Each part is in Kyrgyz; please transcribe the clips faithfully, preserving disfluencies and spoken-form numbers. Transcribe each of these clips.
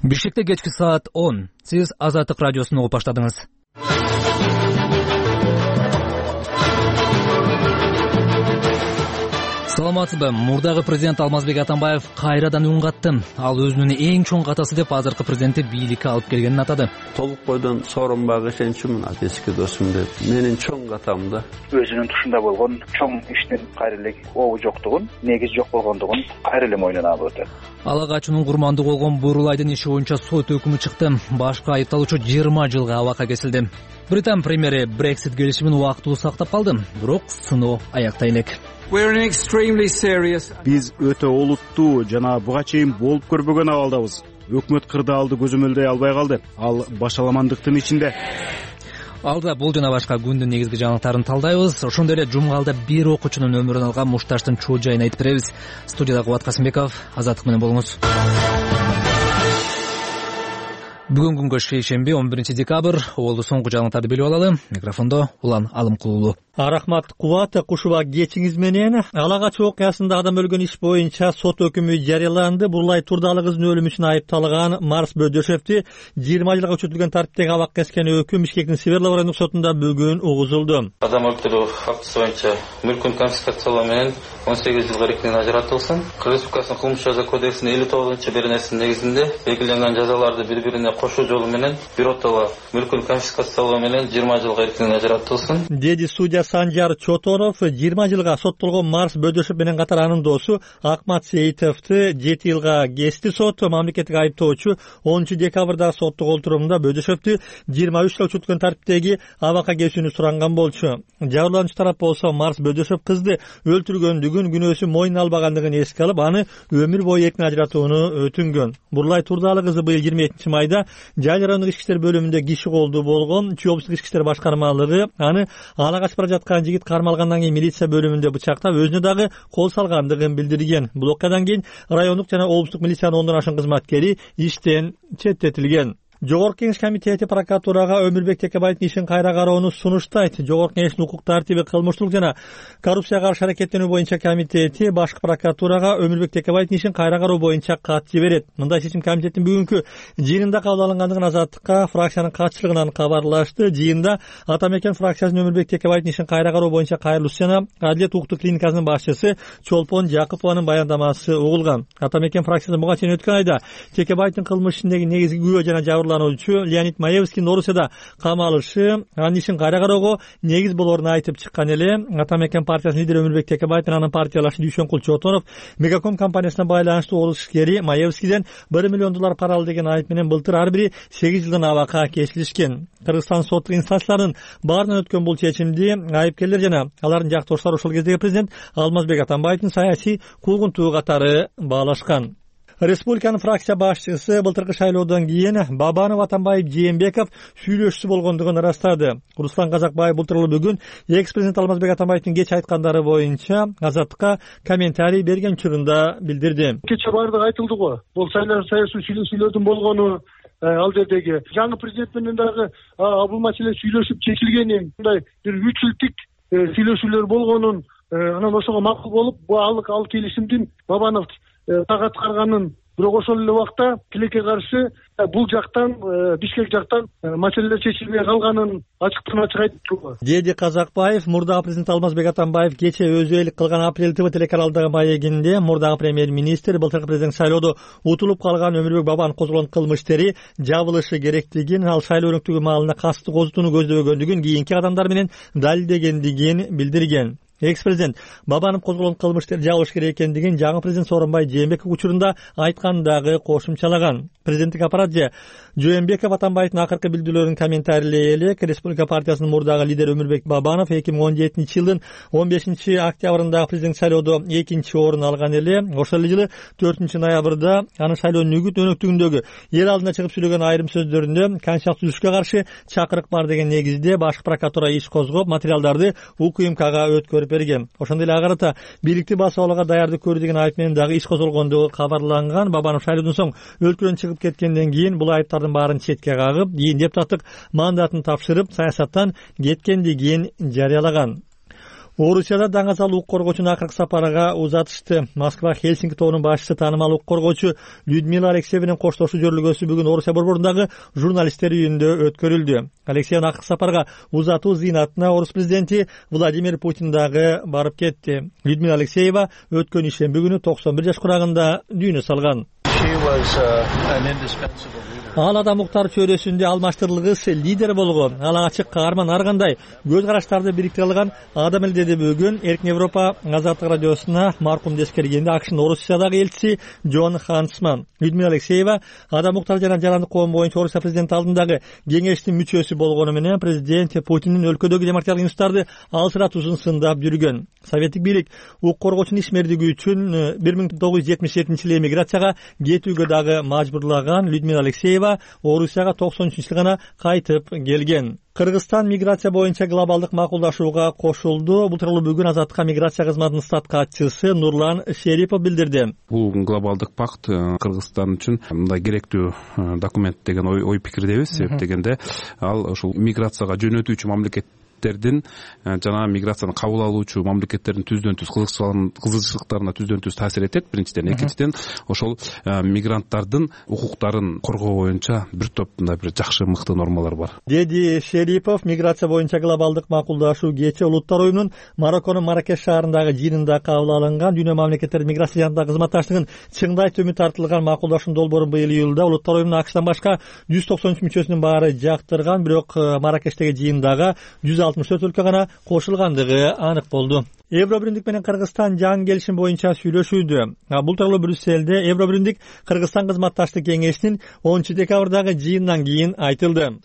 Бишкекте кечки саат он. Сиз Азаттык радиосун угуп баштадыңыз. Саламатсызбы? Мурдагы президент Алмазбек Атамбаев кайрадан үн катты. Ал өзүнүн эң чоң катасы деп азыркы президентти бийликке алып келгенин атады. Толук бойдон сооронбай ишеничимин, эски досум деп. Менин чоң катам да. Өзүнүн тушунда болгон чоң иштин кайрылык обу жоктугун, негиз жок болгондугун кайрылы мойнунан алып өтөт. Ала качуунун курмандуу болгон Бурулайдын иши боюнча сот өкүмү чыкты. Башкы айыпталуучу жыйырма жылга абакка кесилди. Британ премьери Brexit келишимин убактылуу сактап калды, бирок сыноо аякта элек. Биз өтө олуттуу жана буга чейин болуп көрбөгөн абалдабыз. Өкмөт кырдаалды көзөмөлдөй албай калды. Ал башаламандыктын ичинде. Алда бул жана башка күндүн негизги жаңылыктарын талдайбыз. Ошондой эле жумгалда бир окуучунун өмүрүн алган мушташтын чоо жайын айтып беребиз. Студияда Кубат Касымбеков, Азаттык менен болуңуз. Бүгүн күнгө шейшемби он биринчи декабрь. Олду соңку жаңылыктарды билип алалы. Микрофондо Улан Алымкулуулу. Рахмат Кубат, кушуба кечиңиз менен. Ала качуу окуясында адам өлгөн иш боюнча сот өкүмү жарыяланды. Бурулай Турдалы кыздын өлүмү үчүн айыпталган Марс Бөдөшевди жыйырма жылга күчөтүлгөн тартиптеги абакка кескен өкүм Бишкектин Северлов райондук сотунда бүгүн угузулду. Адам өлтүрүү фактысы боюнча мүлкүн конфискациялоо менен он сегиз жылга эркинен ажыратылсын. Кыргыз Республикасынын кылмыш жаза кодексинин элүү тогузунчу беренесинин негизинде белгиленген жазаларды бири-бирине кошуу жолу менен биротоло мүлкүн конфискациялоо менен жыйырма жылга эркинен ажыратылсын, деди судья Санжар Чотонов. жыйырма жылга соттолгон Марс Бөдөшев менен катар анын досу Акмат Сейитовду жети жылга кести сот. Мамлекеттик айыптоочу онунчу декабрда соттук олтурумда Бөдөшевдү жыйырма үч жылга күчөтүлгөн тартиптеги абакка кесүүнү суранган болчу. Жабырлануучу тарап болсо Марс Бөдөшев кызды өлтүргөндүгүн, күнөөсүн мойнуна албагандыгын эске алып, аны өмүр бою эркин ажыратууну өтүнгөн. Бурулай Турдалы кызы быйыл жыйырма экинчи майда Жайыл райондук ички иштер бөлүмүндө киши колдуу болгон. Чүй ички иштер башкармалыгы аны ала качып бара жаткан жигит кармалгандан кийин милиция бөлүмүндө бычактап, өзүнө дагы кол салгандыгын билдирген. Бул окуядан кийин райондук жана облустук милициянын ондон ашык кызматкери иштен четтетилген. Жогорку Кеңеш комитети прокуратурага Өмүрбек Текебаевдин ишин кайра кароону сунуштайт. Жогорку Кеңештин укук тартиби, кылмыштуулук жана коррупцияга каршы аракеттенүү боюнча комитети башкы прокуратурага Өмүрбек Текебаевдин ишин кайра кароо боюнча кат жиберет. Мындай чечим комитеттин бүгүнкү жыйынында кабыл алынгандыгын Азаттыкка фракциянын катчылыгынан кабарлашты. Жыйында Атамекен фракциясынын Өмүрбек Текебаевдин ишин кайра кароо боюнча кайрылуусу жана Адилет укуктук клиникасынын башчысы Чолпон Жакупованын баяндамасы угулган. Атамекен фракциясы буга чейин өткөн айда Текебаевдин кылмыш ишиндеги негизги күбө жана жабырлануучу Леонид Маевскийдин Орусияда камалышы анын ишин кайра кароого негиз болоорун айтып чыккан эле. Атамекен партиясынын лидери Өмүрбек Текебаев менен анын партиялашы Дүйшөнкул Чотонов Мегаком компаниясына байланыштуу орус ишкери Маевскийден бир миллион доллар пара алды деген айып менен былтыр ар бири сегиз жылдан абакка кесилишкен. Кыргызстан соттук инстанцияларынын баарынан өткөн бул чечимди айыпкерлер жана алардын жактооштору ошол кездеги президент Алмазбек Атамбаевдин саясий куугунтугу катары баалашкан. Республиканын фракция башчысы былтыркы шайлоодон кийин Бабанов, Атамбаев, Жээнбеков сүйлөшүүсү болгондугун ырастады. Руслан Казакбаев былтыр бүгүн экс-президент Алмазбек Атамбаевдин кеч айткандары боюнча Азаттыкка комментарий берген учурунда билдирди. Кече баардыгы айтылды го. Бул саясий сүйлөшүүлөрдүн болгону, ал жердеги жаңы президент менен дагы бул маселе сүйлөшүп чечилгени, мындай бир үч жылдык сүйлөшүүлөр болгонун, анан ошого макул болуп, бул ал келишимдин Бабанов так аткарганын, бирок ошол эле убакта тилекке каршы бул жактан, Бишкек жактан маселелер чечилбей калганын ачыктан ачык айтты. Деди Казакбаев. Мурдагы президент Алмазбек Атамбаев кече өзү элик кылган Апрель ТВ телеканалдагы маегинде мурдагы премьер-министр былтыркы президент шайлоодо утулуп калган Өмүрбек Бабанов козголгон кылмыш иштери жабылышы керектигин, ал шайлоо өнөктүгү маалында кастык козутууну көздөбөгөндүгүн, кийинки кадамдар менен далилдегендигин билдирген. Экс-президент Бабанов козголгон кылмыштар жабылыш керек экендигин жаңы президент Сооронбай Жээнбеков учурунда айткандагы кошумчалаган. Президенттик аппарат же Жээнбеков Атамбаевдин акыркы билдирүүлөрүн комментарийлей элек Республика партиясынын мурдагы лидери Өмүрбек Бабанов эки миң он жетинчи жылдын он бешинчи октябрындагы президент шайлоодо экинчи орун алган эле. Ошол жылы төртүнчү ноябрда анын шайлоонун үгүт өнөктүгүндөгү эл алдына чыгып сүйлөгөн айрым сөздөрүндө конституциялык түзүшкө каршы чакырык бар деген негизде башкы прокуратура иш козгоп, материалдарды УКМКга өткөрүп берген. Ошондой эле агарата бийликти басып алууга даярдык көрүү деген айып менен дагы иш козголгондугу кабарланган. Бабанов шайлоодон соң өлкөдөн чыгып кеткенден кийин бул айыптардын баарын четке кагып, кийин депутаттык мандатын тапшырып, саясаттан кеткендигин жарыялаган. Орусияда даңазал укук коргоочунун акыркы сапарга узатышты. Москва Хельсинки тобунун башчысы таанымал укук коргоочу Людмила Алексееванын коштошуу жөрүлгөсү бүгүн Орусия борборундагы журналисттер үйүндө өткөрүлдү. Алексеевна акыркы сапарга узатуу зыйнатына орус президенти Владимир Путин дагы барып кетти. Людмила Алексеева өткөн ишемби күнү токсон бир жаш курагында дүйнө салган. Ал адам укуктар чөйрөсүндө алмаштырылгыс лидер болгон, ал ачык каарман, ар кандай көз караштарды бириктире алган адам эле, деди бүгүн Эркин Европа Азаттык радиосуна маркумду эскергенде АКШнын Орусиядагы элчиси Джон Хансман. Людмила Алексеева адам укуктар жана жарандык коом боюнча Орусия президенти алдындагы кеңештин мүчөсү болгону менен президент Путиндин өлкөдөгү демократиялык институттарды алсыратуусун сындап жүргөн. Советтик бийлик укук коргоочунун ишмердиги үчүн бир миң тогуз жүз жетимиш жетинчи жылы эмиграцияга кетүүгө дагы мажбурлаган Людмила Алексеева Орусияга токсон үчүнчү жылы гана кайтып келген. Кыргызстан миграция боюнча глобалдык макулдашууга кошулду. Бул тууралуу бүгүн Азаттыкка миграция кызматынын стат катчысы Нурлан Шерипов билдирди. Бул глобалдык пакт Кыргызстан үчүн мындай керектүү документ деген ой, ой пикирдебиз. Себеп дегенде ал ушул миграцияга жөнөтүүчү мамлекет жана миграцияны кабыл алуучу мамлекеттердин түздөн түз кызыкчылыктарына түздөн түз таасир этет. Биринчиден, экинчиден ошол мигранттардын укуктарын коргоо боюнча бир топ мындай бир жакшы мыкты нормалар бар, деди Шерипов. Миграция боюнча глобалдык макулдашуу кечээ Улуттар уюмунун Марокконун Маракеш шаарындагы жыйынында кабыл алынган. Дүйнө мамлекеттердин миграция жаатындагы кызматташтыгын чыңдай төмүн тартылган макулдашуунун долбоорун быйыл июлда Улуттар уюмунун АКШтан башка жүз токсон үч мүчөсүнүн баары жактырган, бирок Маракештеги жыйындагы жүз алтымыш төрт өлкө гана кошулгандыгы анык болду. Евробиримдик менен Кыргызстан жаңы келишим боюнча сүйлөшүүдө. Бул тууралуу Брюсселде Евробиримдик Кыргызстан кызматташтык кеңешинин онунчу декабрдагы жыйынынан кийин айтылды.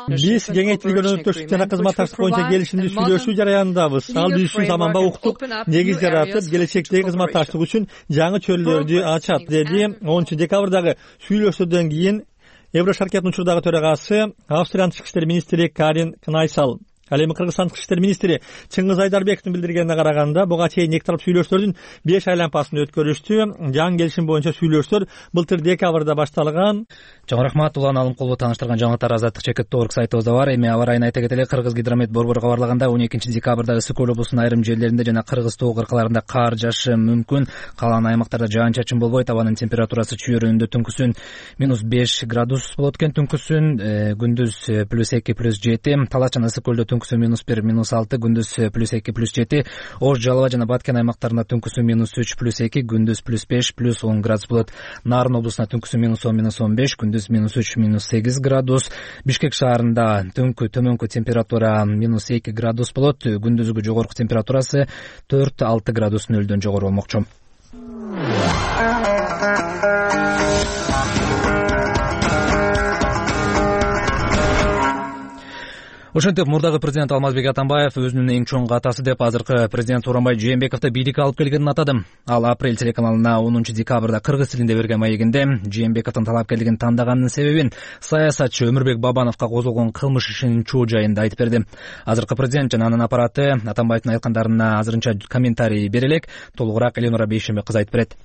Биз кеңейтилген өнөктөштүк жана кызматташтык боюнча келишимди сүйлөшүү жараянындабыз. Ал биз үчүн заманбап укуктук негиз жаратып, келечектеги кызматташтык үчүн жаңы чөйрөлөрдү ачат, деди онунчу декабрдагы сүйлөшүүдөн кийин Еврошаркеттин учурдагы төрагасы Австриянын тышкы иштер министри Карин Кнайсал. Ал эми Кыргызстан тышкы иштер министри Чыңгыз Айдарбековдун билдиргенине караганда, буга чейин эки тарап сүйлөшүүлөрдүн беш айланпасын өткөрүштү. Жаңы келишим боюнча сүйлөшүүлөр былтыр декабрда башталган. Чоң рахмат. Улан Алымкулову тааныштырган жаңылыктар Азаттык чекит точка орг сайтыбызда бар. Эми аба ырайын айта кетели. Кыргызгидромет борбору кабарлаганда он экинчи декабрда ысык көл облусунун айрым жерлеринде жана Кыргыз тоо кыркаларында кар жаашы мүмкүн. Калган аймактарда жаан чачын болбойт. Абанын температурасы чүйөрүндө түнкүсүн минус беш градус болот экен. Түнкүсүн күндүз плюс эки плюс жети. Талас жана ысык көлдө түнкүсүн минус бир минус алты, күндүз плюс эки плюс жети. Ош, Жалала жана Баткен аймактарында түнкүсүн минус үч плюс эки, күндүз плюс беш плюс он градус болот. Нарын облусуна түнкүсүн минус он минус он беш, күндүз минус үч минус сегиз градус. Бишкек шаарында түнкү төмөнкү температура минус эки градус болот. Күндүзгү жогорку температурасы төрт алты градус нөлдөн жогору болмокчу. Ошентип мурдагы президент Алмазбек Атамбаев өзүнүн эң чоң катасы деп азыркы президент Сооронбай Жээнбековду бийликке алып келгенин атады. Ал Апрель телеканалына онунчу декабрда кыргыз тилинде берген маегинде Жээнбековдун талапкерлигин тандаганынын себебин саясатчы Өмүрбек Бабановго козголгон кылмыш ишинин чоо жайында айтып берди. Азыркы президент жана анын аппараты Атамбаевдин айткандарына азырынча комментарий бере элек. Толугураак Эленора Бейшембек кызы айтып берет.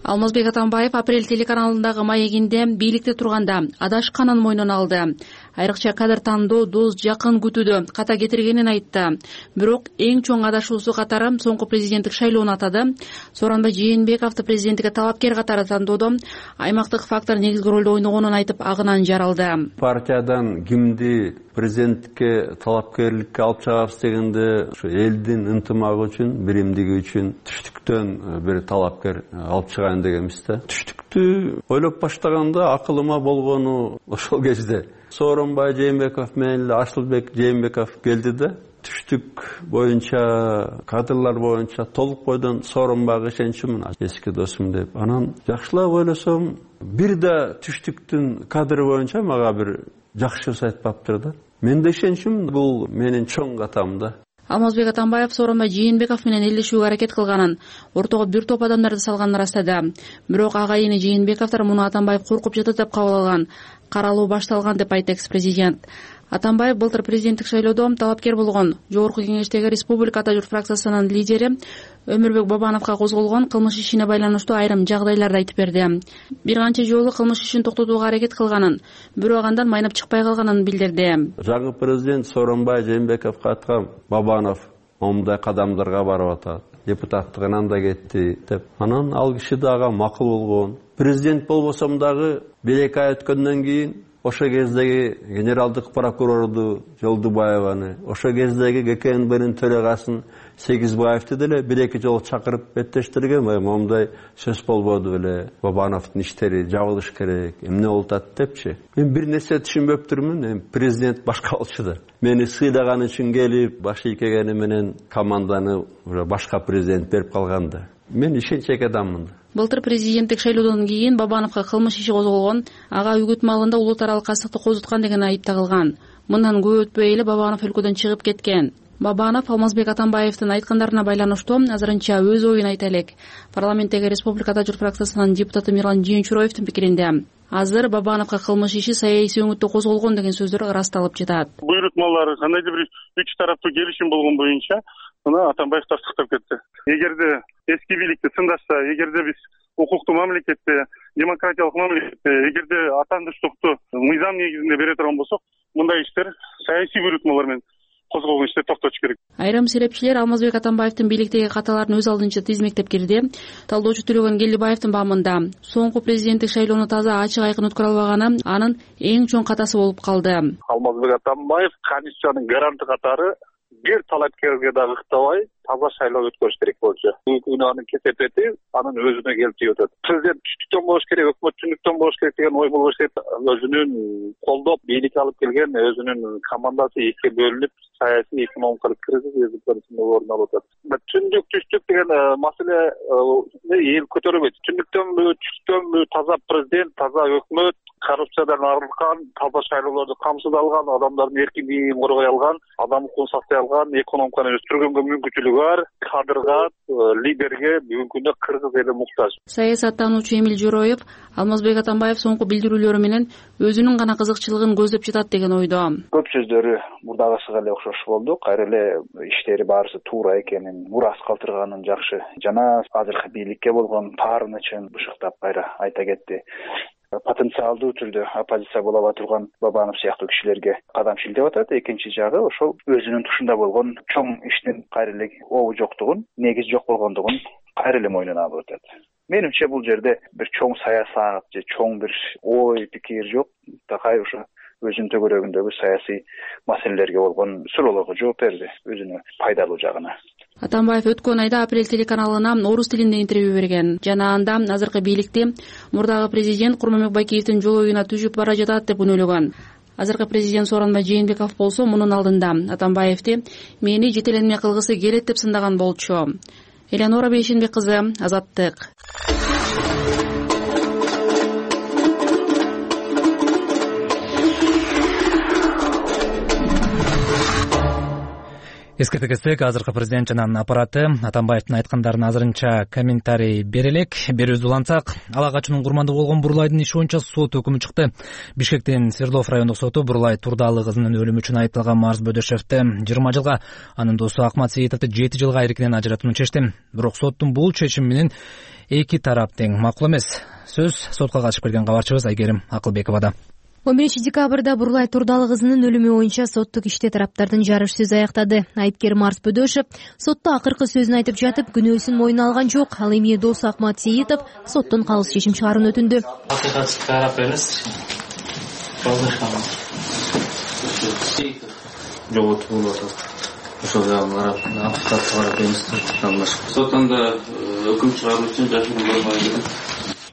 Алмазбек Атамбаев Апрель телеканалындагы маегинде бийликте турганда адашканын мойнуна алды. Айрыкча кадр тандоо доз жакын күтүүдө ката кетиргенин айтты. Бирок эң чоң адашуусу катары соңку президенттик шайлоону атады. Сооронбай Жээнбековду президенттикке талапкер катары тандоодо аймактык фактор негизги ролду ойногонун айтып, агынан жаралды. Партиядан кимди президенттикке талапкерликке алып чыгабыз дегенде ушу элдин ынтымагы үчүн, биримдиги үчүн түштүктөн бир талапкер алып чыгайын дегенбиз да. Түштүктү ойлоп баштаганда акылыма болгону ошол кезде Сооронбай Жээнбеков менен эле Асылбек Жээнбеков келди да, түштүк боюнча, кадрлар боюнча толук бойдон Сооронбайга ишенчүмүн, эски досум деп. Анан жакшылап ойлосом, бир да түштүктүн кадры боюнча мага бир жакшыбыз айтпаптыр да. Мен да ишенчүмүн, бул менин чоң катам да. Алмазбек Атамбаев Сооронбай Жээнбеков менен элдешүүгө аракет кылганын, ортого бир топ адамдарды салганын ырастады. Бирок агайыны Жээнбековдор муну Атамбаев коркуп жатат деп кабыл алган. Каралуу башталган деп айтты экс-президент. Атамбаев былтыр президенттик шайлоодо талапкер болгон. Жогорку кеңештеги Республика Ата журт фракциясынын лидери Өмүрбек Бабановго козголгон кылмыш ишине байланыштуу айрым жагдайларды айтып берди. Бир канча жолу кылмыш ишин токтотууга аракет кылганын, бирок андан майнап чыкпай калганын билдирди. Жаңы президент Сооронбай Жээнбековго айткан, Бабанов момундай кадамдарга барып атат, депутаттыгынан да кетти деп. Анан ал киши дагы макул болгон. Президент болбосом дагы бир эки ай өткөндөн кийин ошо кездеги генералдык прокурорду Жолдубаеваны, ошо кездеги гэ ка эн бнин төрагасын Сегизбаевди деле бир эки жолу чакырып беттештирген. Момундай сөз болбоду беле, Бабановдун иштери жабылыш керек, эмне болуп атат депчи. Мен бир нерсе түшүнбөптүрмүн. Эми президент башка болчу да. Мени сыйлаган үчүн келип, баш ийкегени менен команданы уже башка президент берип калган да. Мен ишенчек адаммын. Былтыр президенттик шайлоодон кийин Бабановго кылмыш иши козголгон, ага үгүт маалында улут аралык кастыкты козуткан деген айып тагылган. Мындан көп өтпөй эле Бабанов өлкөдөн чыгып кеткен. Бабанов Алмазбек Атамбаевдин айткандарына байланыштуу азырынча өз оюн айта элек. Парламенттеги Республикада журт фракциясынын депутаты Мирлан Жээнчуроевдин пикиринде азыр Бабановго кылмыш иши саясий өңүттө козголгон деген сөздөр ырасталып жатат. Буйрутмалар кандайдыр бир үч тараптуу келишим болгон боюнча мына Атамбаев тастыктап кетти. Эгерде эски бийликти сындашса, эгерде биз укуктуу мамлекетте, демократиялык мамлекетте, эгерде атандыштыкты мыйзам негизинде бере турган болсок, мындай иштер саясий буйрутмалар менен козголгон ишти токтотуш керек. Айрым серепчилер Алмазбек Атамбаевдин бийликтеги каталарын өз алдынча тизмектеп кирди. Талдоочу Төлөгөн Келдибаевдин баамында соңку президенттик шайлоону таза ачык айкын өткөрө албаганы анын эң чоң катасы болуп калды. Алмазбек Атамбаев Конституциянын гаранты катары бир талапкерге дагы ыктабай таза шайлоо өткөрүш керек болчу. Бүгүнкү анын кесепети анын өзүнө келип тийип атат. Президент түштүктөн болуш керек, өкмөт түндүктөн болуш керек деген ой болуш керек. Өзүнүн колдоп бийликке алып келген өзүнүн командасы экиге бөлүнүп, саясий экономикалык кризис өзүнүн орун алып атат. Түндүк түштүк деген маселе эл көтөрүлбөйт. Түндүктөнбү, түштүктөнбү таза президент, таза өкмөт, коррупциядан арылган, таза шайлоолорду камсыз алган, адамдардын эркиндигин коргой алган, адам укугун сактай алган, экономиканы өстүргөнгө мүмкүнчүлүгү бар, кадрга, лидерге бүгүнкү күндө кыргыз эли муктаж. Саясаттануучу Эмил Жороев Алмазбек Атамбаев соңку билдирүүлөрү менен өзүнүн гана кызыкчылыгын көздөп жатат деген ойдо. Көп сөздөрү мурдагысыга эле окшош болду. Кайра эле иштери баарысы туура экенин, мурас калтырганын жакшы жана азыркы бийликке болгон таарынычын бышыктап кайра айта кетти. Потенциалдуу түрдө оппозиция боло ала турган Бабанов сыяктуу кишилерге кадам шилтеп атат. Экинчи жагы ошол өзүнүн тушунда болгон чоң иштин кайра эле обу жоктугун, негизи жок болгондугун кайра эле мойнуна алып атат. Менимче бул жерде бир чоң саясат же чоң бир ой пикир жок. Такай ошо өзүнүн төгөрөгүндөгү саясий маселелерге болгон суроолорго жооп берди, өзүнө пайдалуу жагына. Атамбаев өткөн айда Апрель телеканалына орус тилинде интервью берген жана анда азыркы бийликти мурдагы президент Курманбек Байкеевдин жол оюна түшүп бара жатат деп үнөлөгөн. Азыркы президент Сооронбай Жээнбеков болсо мунун алдында Атамбаевди мени жетеленме кылгысы келет деп сындаган болчу. Элеонора Бейшенбек кызы, Азаттык. Эскерте кетсек, азыркы президент жана аппараты Атамбаевдин айткандарын азырынча комментарий бере элек. Берүүбүздү улантсак, ала качуунун курмандуу болгон Бурлайдын иши боюнча сот өкүмү чыкты. Бишкектин Свердлов райондук соту Бурлай Турдалы кызынын өлүмү үчүн айыпталган Марс Бөдөшевди жыйырма жылга, анын досу Акмат Сейитовду жети жылга эркинен ажыратууну чечти. Бирок соттун бул чечими менен эки тарап тең макул эмес. Сөз сотко катышып келген кабарчыбыз Айгерим Акылбековада. он биринчи декабрда Бурлай Турдалы кызынын өлүмү боюнча соттук иште тараптардын жарыш сөзү аяктады. Айыпкер Марс Бөдөшев сотто акыркы сөзүн айтып жатып, күнөөсүн мойнуна алган жок. Ал эми досу Акмат Сейитов соттон калыс чечим чыгарууну өтүндү. Акыйкатсыз карап бериңиз. Жоготуп болуп атат. Ошол жагын карап, акыйкатсыз карап бериңиз. Соттонда өкүм чыгаруу үчүн жашыруун болбойт.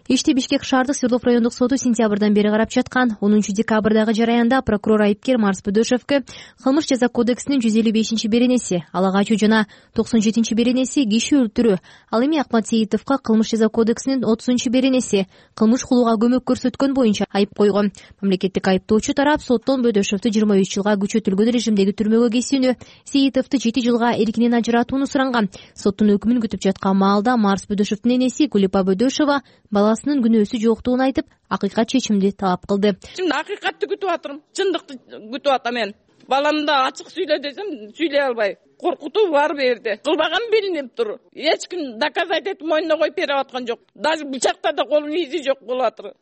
Ишти Бишкек шаардык Свердлов райондук соту сентябрдан бери карап жаткан. онунчу декабрдагы жараянда прокурор айыпкер Марс Бөдөшевге кылмыш жаза кодексинин жүз элүү бешинчи беренеси, ала качуу жана токсон жетинчи беренеси киши өлтүрүү, ал эми Акмат Сейитовго кылмыш жаза кодексинин отузунчу беренеси, кылмыш кылууга көмөк көрсөткөн боюнча айып койгон. Мамлекеттик айыптоочу тарап соттон Бөдөшевдү жыйырма үч жылга күчөтүлгөн режимдеги түрмөгө кесүүнү, Сейитовду жети жылга эркинен ажыратууну суранган. Соттун өкүмүн күтүп жаткан маалда Марс Бөдөшевдин энеси Гүлипа Бөдөшева баласынын күнөөсү жоктугун айтып, акыйкат чечимди талап кылды. Чын акыйкатты күтүп атырмын, чындыкты күтүп атам мен. баламды да ачык сүйлө десем сүйлөй албай, коркутуу бар бу жерде. Кылбаган билинип тур. Эч ким доказать этип мойнуна коюп берип аткан жок. Даже бычакта да колунун изи жок болуп атыр.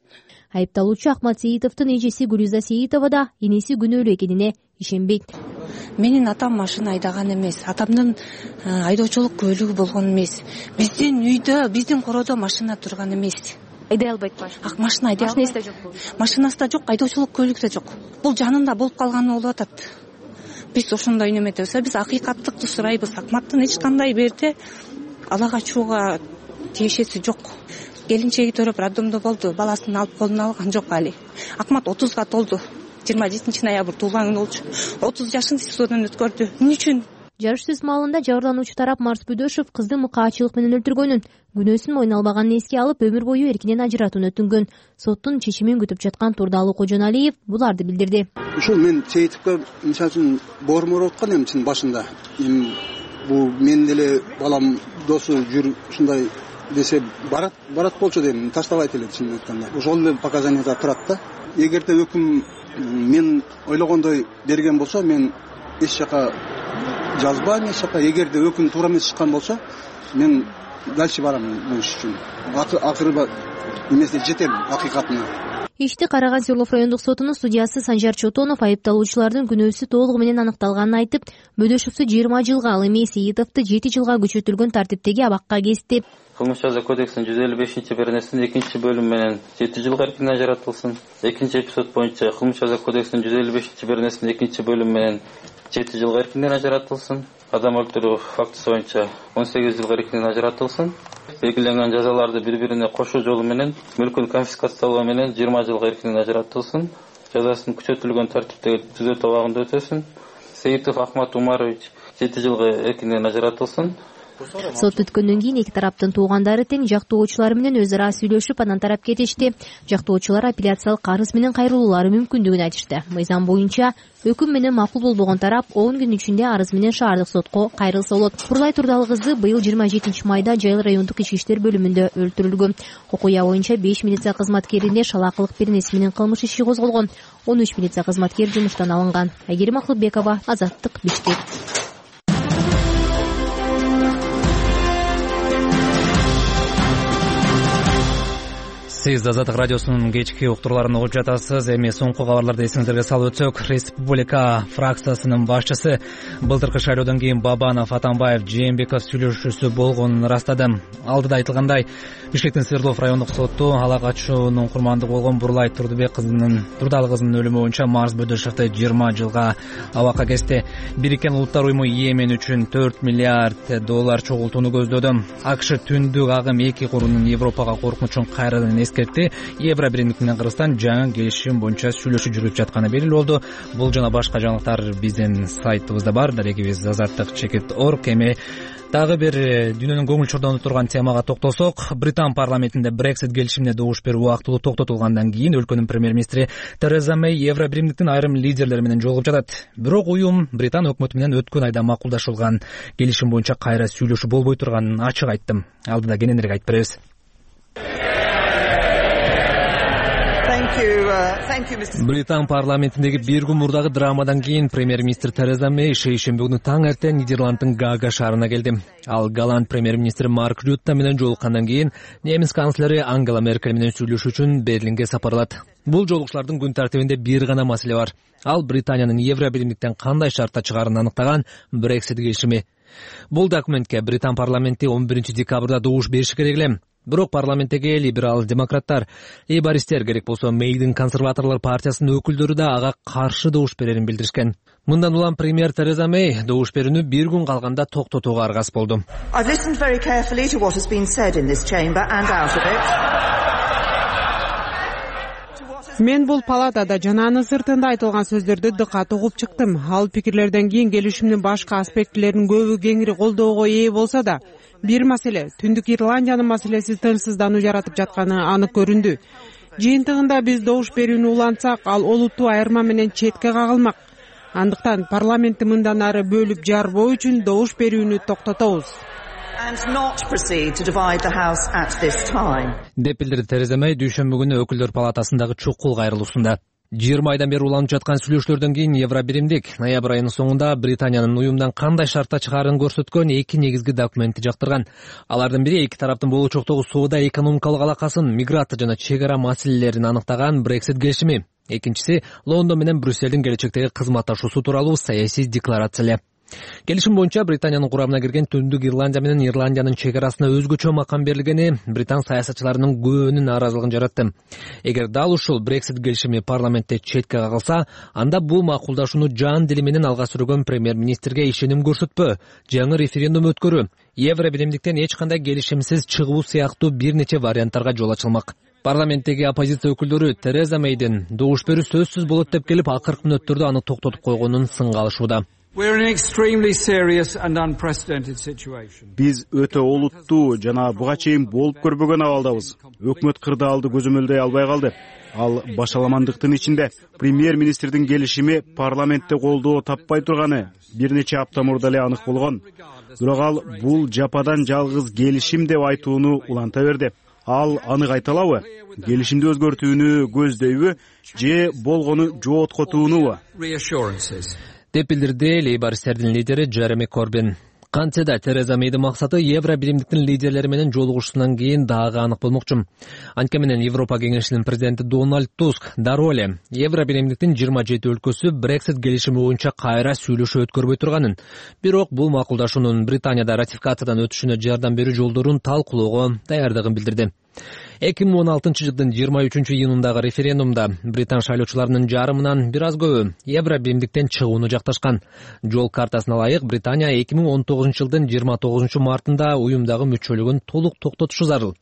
Айыпталуучу Акмат Сейитовдун эжеси Гүлүза Сейитова да энеси күнөөлүү экенине ишенбейт. Менин атам машина айдаган эмес, атамдын айдоочулук көлүгү болгон эмес. Биздин үйдө, биздин короодо машина турган эмес. Айдай албайт машина. Машина айдай албайт. Машинасы да жок. Машинасы да жок, айдоочулук көлүгү да жок. Бул жанында болуп калганы болуп атат. Биз ошондой неметебиз. Биз акыйкаттыкты сурайбыз. Акматтын эч кандай берде ала качууга тиешеси жок. Келинчеги төрөп роддомдо болду, баласын алып колуна алган жок али. Акмат отузга толду. жыйырма жетинчи ноябрь туулган күнү болчу. отуз жашын СИЗОдон өткөрдү. Эмне үчүн? Жарыш сөз маалында жабырлануучу тарап Марс Бөдөшов кызды мыкаачылык менен өлтүргөнүн, күнөөсүн мойнуна албаганын эске алып, өмүр бою эркинен ажыратууну өтүнгөн. Соттун чечимин күтүп жаткан Турдалы Кожоналиев буларды билдирди. Ушул мен Сейитовго мисалы үчүн бормуруп аткан эми чын башында. Эми бул мен деле балам досу жүр ушундай десе барат барат болчу дейм, таштабайт эле чынын айтканда. Ошол эле показанияда турат да. Эгерде өкүм мен ойлогондой берген болсо, мен эч жака жазбайм, эч жака. Эгерде өкүм туура эмес чыккан болсо, мен дальше барам бул иш үчүн. Акыры эмесе жетем акыйкатына. Ишти караган Свердлов райондук сотунун судьясы Санжар Чотонов айыпталуучулардын күнөөсү толугу менен аныкталганын айтып, Бөдөшовду жыйырма жылга, ал эми Сейитовду жети жылга күчөтүлгөн тартиптеги абакка кести. Кылмыш жаза кодексинин жүз элүү бешинчи беренесинин экинчи бөлүмү менен жети жылга эркинен ажыратылсын. Экинчи эпизод боюнча Кылмыш жаза кодексинин жүз элүү бешинчи беренесинин экинчи бөлүмү менен жети жылга эркинен ажыратылсын. Адам өлтүрүү фактысы боюнча он сегиз жылга эркинен ажыратылсын. Белгиленген жазаларды бири-бирине кошуу жолу менен мүлкүн конфискациялоо менен жыйырма жылга эркинен ажыратылсын. Жазасын күчөтүлгөн тартиптеги түзөтүү абагында өтөсүн. Сейитов Акмат Умарович жети жылга эркинен ажыратылсын. Сот өткөндөн кийин эки тараптын туугандары тең жактоочулары менен өз ара сүйлөшүп, анан тарап кетишти. Жактоочулар апелляциялык арыз менен кайрылуулары мүмкүндүгүн айтышты. Мыйзам боюнча өкүм менен макул болбогон тарап он күн ичинде арыз менен шаардык сотко кайрылса болот. Курлай Турдалы кызы быйыл жыйырма жетинчи майда Жайыл райондук ички иштер бөлүмүндө өлтүрүлгөн. Окуя боюнча беш милиция кызматкерине шалаакылык беренеси менен кылмыш иши козголгон. он үч милиция кызматкери жумуштан алынган. Айгерим Акылбекова, Азаттык, Бишкек. Сиз Азаттык радиосунун кечки уктурууларын угуп жатасыз. Эми соңку кабарларды эсиңиздерге салып өтсөк, Республика фракциясынын башчысы былтыркы шайлоодон кийин Бабанов, Атамбаев, Жээнбеков сүйлөшүүсү болгонун ырастады. Алдыда айтылгандай, Бишкектин Свердлов райондук соту ала качуунун курмандыгы болгон Бурлай Турдубек кызынын Турдалы кызынын өлүмү боюнча Марс Бөдөшовду жыйырма жылга абакка кести. Бириккен Улуттар уюму Йемен үчүн төрт миллиард доллар чогултууну көздөдү. АКШ түндүк агым эки курунун Европага коркунучун кайрадан эскертти. Евро биримдик менен Кыргызстан жаңы келишим боюнча сүйлөшүү жүргүзүп жатканы белгилүү болду. Бул жана башка жаңылыктар биздин сайтыбызда бар. Дарегибиз азаттык чекит точка орг. Эми дагы бир дүйнөнүн көңүл чордонуп турган темага токтолсок, Британ парламентинде Brexit келишимине добуш берүү убактылуу токтотулгандан кийин өлкөнүн премьер-министри Тереза Мэй Евро биримдиктин айрым лидерлери менен жолугуп жатат. Бирок уюм Британ өкмөтү менен өткөн айда макулдашылган келишим боюнча кайра сүйлөшүү болбой турганын ачык айттым. Алдыда кененирээк айтып беребиз. Британ парламентиндеги бир күн мурдагы драмадан кийин премьер-министр Тереза Мэй шейшемби күнү таң эртең Нидерланддын Гага шаарына келди. Ал голланд премьер-министри Марк Рютте менен жолуккандан кийин немис канцлери Ангела Меркель менен сүйлөшүү үчүн Берлинге сапарлады. Бул жолугушуулардын күн тартибинде бир гана маселе бар. Ал Британиянын Евро биримдиктен кандай шартта чыгаарын аныктаган Brexit келишими. Бул документке Британ парламенти он биринчи декабрда добуш бериши керек эле. Бирок парламенттеги либерал-демократтар, лейбористтер керек болсо Мэйдин консерваторлор партиясынын өкүлдөрү да ага каршы добуш берерин билдиришкен. Мындан улам премьер Тереза Мэй добуш берүүнү бир күн калганда токтотууга аргасыз болду. Мен бул палатада жана анын сыртында айтылган сөздөрдү дыкат угуп чыктым. Ал пикирлерден кийин келишимдин башка аспектилерин көбү кеңири колдоого ээ болсо да, бир маселе Түндүк Ирландиянын маселеси тынчсыздануу жаратып жатканы анык көрүндү. Жыйынтыгында биз добуш берүүнү улантсак, ал олуттуу айырма менен четке кагылмак. Андыктан парламентти мындан ары бөлүп жарбоо үчүн добуш берүүнү токтотобуз. деп билдирди Тереза Мэй дүйшөмбү күнү өкүлдөр палатасындагы чукул кайрылуусунда. жыйырма айдан бери уланып жаткан сүйлөшүүлөрдөн кийин Евробиримдик ноябрь айынын соңунда Британиянын уюмдан кандай шартта чыгаарын көрсөткөн эки негизги документти жактырган. Алардын бири эки тараптын болочоктогу соода экономикалык алакасын, миграция жана чек ара маселелерин аныктаган Brexit келишими. Экинчиси Лондон менен Брюсселдин келечектеги кызматташуусу тууралуу саясий декларация. Келишим боюнча Британиянын курамына кирген Түндүк Ирландия менен Ирландиянын чек арасына өзгөчө макам берилгени британ саясатчыларынын көбүнүн нааразылыгын жаратты. Эгер дал ушул Brexit келишими парламентте четке кагылса, анда бул макулдашууну жан дили менен алга сүргөн премьер-министрге ишеним көрсөтпөө, жаңы референдум өткөрүү, Евробиримдиктен эч кандай келишимсиз чыгуу сыяктуу бир нече варианттарга жол ачылмак. Парламенттеги оппозиция өкүлдөрү Тереза Мейдин добуш берүү сөзсүз болот деп келип, акыркы мүнөттөрдө аны токтотуп койгонун сынга алышууда. Биз өтө олуттуу жана буга чейин болуп көрбөгөн абалдабыз. Өкмөт кырдаалды көзөмөлдөй албай калды. Ал башаламандыктын ичинде премьер-министрдин келишими парламентте колдоо таппай турганы бир нече апта мурда эле анык болгон. Бирок ал бул жападан жалгыз келишим деп айтууну уланта берди. Ал анык айта алабы? Келишимди өзгөртүүнү көздөйбү же болгону жооткотуунубу? деп билдирди лейбористтердин лидери Джереми Корбин. Кантсе да Тереза Мейдин максаты Евробиримдиктин лидерлери менен жолугушуусунан кийин дагы анык болмокчу. Анткени менен Европа кеңешинин президенти Дональд Туск дароо эле Евробиримдиктин жыйырма жети өлкөсү Brexit келишими боюнча кайра сүйлөшүү өткөрбөй турганын, бирок бул макулдашуунун Британияда ратификациядан өтүшүнө жардам берүү жолдорун талкуулоого даярдыгын билдирди. эки миң он алтынчы жылдын жыйырма үчүнчү июнундагы референдумда британ шайлоочуларынын жарымынан бир аз көбү Евробиримдиктен чыгууну жакташкан. Жол картасына ылайык Британия эки миң он тогузунчу жылдын жыйырма тогузунчу мартында уюмдагы мүчөлүгүн толук токтотушу зарыл.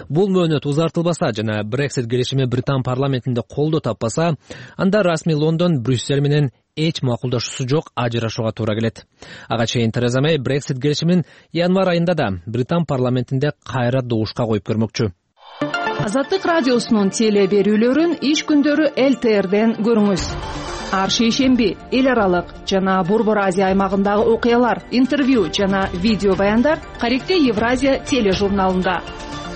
Бул мөөнөт узартылбаса жана Brexit келишими Британ парламентинде колдоо таппаса, анда расмий Лондон Брюссель менен эч макулдашуусу жок ажырашууга туура келет. Ага чейин Тереза Мей Brexit келишимин январь айында да Британ парламентинде кайра добушка коюп көрмөкчү. Азаттык радиосунун теле берүүлөрүн иш күндөрү Эл Т Р'ден көрүңүз. Ар шейшемби эл аралык жана Борбор Азия аймагындагы окуялар, интервью жана видео баяндар Каректе Евразия тележурналында.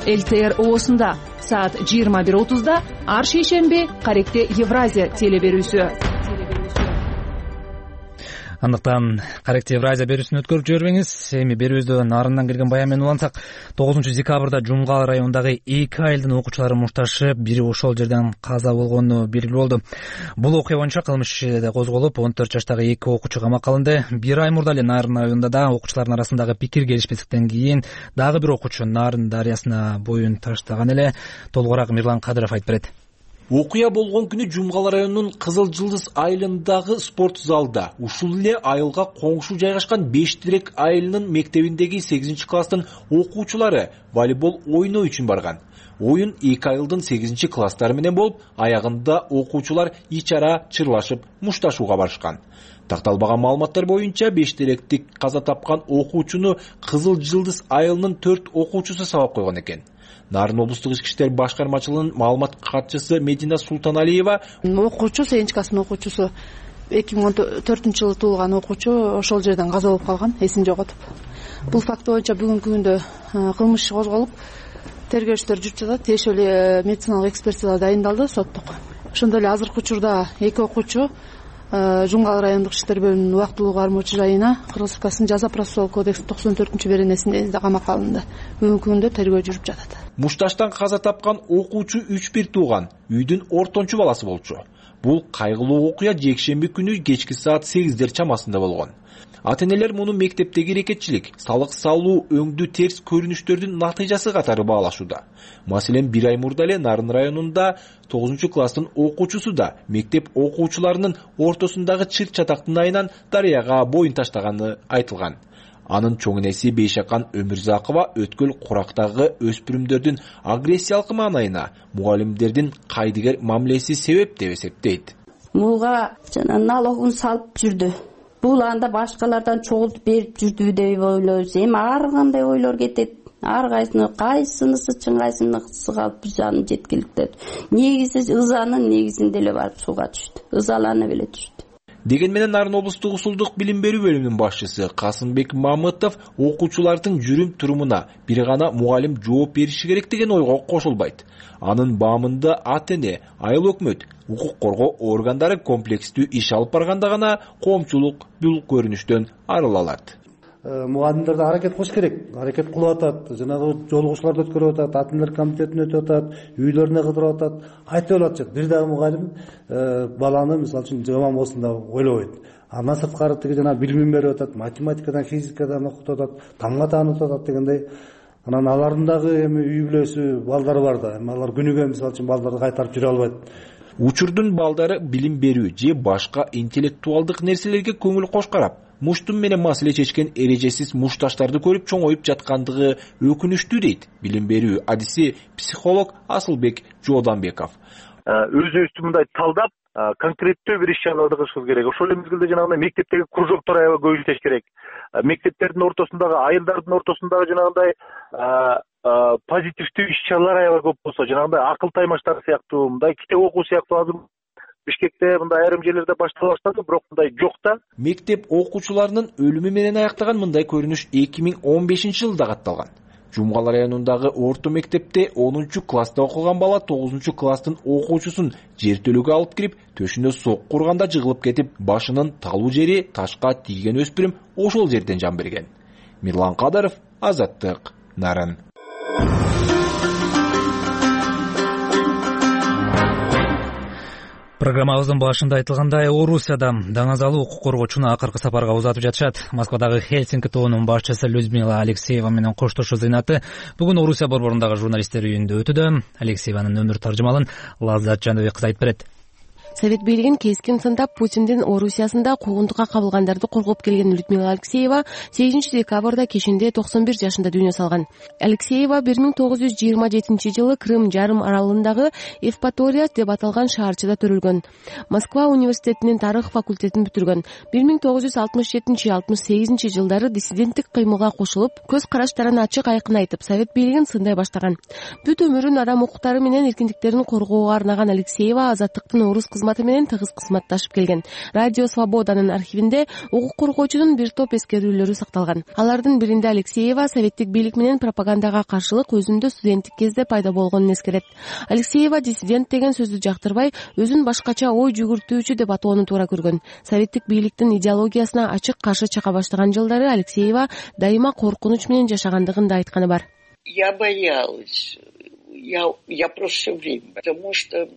Эл Т Р оосунда саат жыйырма бир отузда ар шейшемби Каректе Евразия теле берүүсү. Андыктан Каректе Евразия берүүсүн өткөрүп жибербеңиз. Эми берүүбүздө нарындан келген баян менен улантсак, тогузунчу декабрда Жумгал районундагы эки айылдын окуучулары мушташып, бири ошол жерден каза болгону белгилүү болду. Бул окуя боюнча кылмыш иши да козголуп, он төрт жаштагы эки окуучу камакка алынды. Бир ай мурда эле Нарын районунда да окуучулардын арасындагы пикир келишпестиктен кийин дагы бир окуучу Нарын дарыясына боюн таштаган эле. Толугураак Мирлан Кадыров айтып берет. Окуя болгон күнү Жумгал районунун Кызыл Жылдыз айылындагы спорт залда ушул эле айылга коңшу жайгашкан беш тирек айылынын мектебиндеги сегизинчи класстын окуучулары волейбол ойноо үчүн барган. Оюн эки айылдын сегизинчи класстары менен болуп, аягында окуучулар ич ара чырлашып мушташууга барышкан. Такталбаган маалыматтар боюнча беш теректик каза тапкан окуучуну Кызыл Жылдыз айылынын төрт окуучусу сабап койгон экен. Нарын облустук ички иштер башкармачылыгынын маалымат катчысы Медина Султаналиева окуучу сегизинчи класстын окуучусу эки миң он төртүнчү жылы туулган окуучу ошол жерден каза болуп калган, эсин жоготуп. Бул факт боюнча бүгүнкү күндө кылмыш иши козголуп, тергөө иштери жүрүп жатат. Тиешелүү эле медициналык экспертиза дайындалды соттук. Ошондой эле азыркы учурда эки окуучу Жумгал райондук иштер бөлүмүнүн убактылуу кармоочу жайына Кыргыз Республикасынын жаза процессуалдык кодексинин токсон төртүнчү беренесинде камакка алынды. Бүгүнкү күндө тергөө жүрүп жатат. Мушташтан каза тапкан окуучу үч бир тууган, үйдүн ортончу баласы болчу. Бул кайгылуу окуя жекшемби күнү кечки саат сегиздер чамасында болгон. Ата-энелер муну мектептеги эрекетчилик, салык салуу, өңдүү терс көрүнүштөрдүн натыйжасы катары баалашууда. Маселен, бир ай мурда эле Нарын районунда тогузунчу класстын окуучусу да мектеп окуучуларынын ортосундагы чыр чатактын айынан дарыяга боюн таштаганы айтылган. Анын чоң энеси Бейшакан Өмүрзакова өткөл курактагы өспүрүмдөрдүн агрессиялык маанайына мугалимдердин кайдыгер мамилеси себеп деп эсептейт. Муга жана налогун салып жүрдү. Бул анда башкалардан чогултуп берип жүрдү деп ойлойбуз. Эми ар кандай ойлор кетет. Ар кайсыны кайсынысы чын кайсынысы калп жаны жеткиликтет. Негизи ызанын негизинде эле барып сууга түштү. Ызаланып эле түштү. деген менен Нарын облустук усулдук билим берүү бөлүмүнүн башчысы Касымбек Мамытов окуучулардын жүрүм турумуна бир гана мугалим жооп бериши керек деген ойго кошулбайт. Анын баамында ата-эне, айыл өкмөт, укук коргоо органдары комплекстүү иш алып барганда гана коомчулук бул көрүнүштөн арыла алат. Мугалимдерде аракет кылыш керек, аракет кылып атат, жанагы жолугушууларды өткөрүп атат, ата-энелер комитетине өтүп атат, үйлөрүнө кыдырып атат, айтып атат. Бир дагы мугалим баланы мисалы үчүн жаман болсун деп ойлобойт. Андан сырткары тиги жана билимин берип атат, математикадан, физикадан окутуп атат, тамга таанытып атат дегендей. Анан алардын дагы эми үй бүлөсү, балдары бар да. Эми алар күнүгө мисалы үчүн балдарды кайтарып жүрө албайт. Учурдун балдары билим берүү же башка интеллектуалдык нерселерге көңүл кош карап, муштум менен маселе чечкен эрежесиз мушташтарды көрүп чоңоюп жаткандыгы өкүнүчтүү дейт билим берүү адиси психолог Асылбек Жооданбеков. Өзүбүздү мындай талдап, конкреттүү бир иш-чараларды кылышыбыз керек. Ошол эле мезгилде жанагындай мектептеги кружоктор аябай көбөйтүш керек. Мектептердин ортосундагы, айылдардын ортосундагы жанагындай позитивдүү иш-чаралар аябай көп болсо, жанагындай акыл таймаштар сыяктуу, мындай китеп окуу сыяктуу азыр Бишкекте мындай айрым жерлерде баштала баштады, бирок мындай жок да. Мектеп окуучуларынын өлүмү менен аяктаган мындай көрүнүш эки миң он бешинчи жылда катталган. Жумгал районундагы орто мектепте онунчу класста окуган бала тогузунчу класстын окуучусун жертөлөгө алып кирип, төшүнө сок курганда жыгылып кетип, башынын талуу жери ташка тийген өспүрүм ошол жерден жан берген. Мирлан Кадыров, Азаттык, Нарын. Программабыздын башында айтылгандай, Орусияда даңазалуу укук коргоочуну акыркы сапарга узатып жатышат. Москвадагы Хельсинки тобунун башчысы Людмила Алексеева менен коштошуу зыйнаты бүгүн Орусия борборундагы журналисттер үйүндө өтүүдө. Алексееванын өмүр таржымалын Лаззат Жаныбек кыз айтып берет. Совет бийлигин кескин сындап Путиндин Орусиясында куугунтукка кабылгандарды коргоп келген Людмила Алексеева сегизинчи декабрда кечинде токсон бир жашында дүйнө салган. Алексеева бир миң тогуз жүз жыйырма жетинчи жылы Крым жарым аралындагы Евпатория деп аталган шаарчыда төрөлгөн. Москва университетинин тарых факультетин бүтүргөн. бир миң тогуз жүз алтымыш жетинчи — алтымыш сегизинчи жылдары диссиденттик кыймылга кошулуп, көз караштарын ачык айкын айтып, Совет бийлигин сындай баштаган. Бүт өмүрүн адам укуктары менен эркиндиктерин коргоого арнаган Алексеева Азаттыктын орус кызматы менен тыгыз кызматташып келген. Радио Свободанын архивинде укук коргоочунун бир топ эскерүүлөрү сакталган. Алардын биринде Алексеева советтик бийлик менен пропагандага каршылык өзүндө студенттик кезде пайда болгонун эскерет. Алексеева диссидент деген сөздү жактырбай, өзүн башкача ой жүгүртүүчү деп атоону туура көргөн. Советтик бийликтин идеологиясына ачык каршы чыга баштаган жылдары Алексеева дайыма коркунуч менен жашагандыгын да айтканы бар. Я боялась. Я я просто всё время, потому что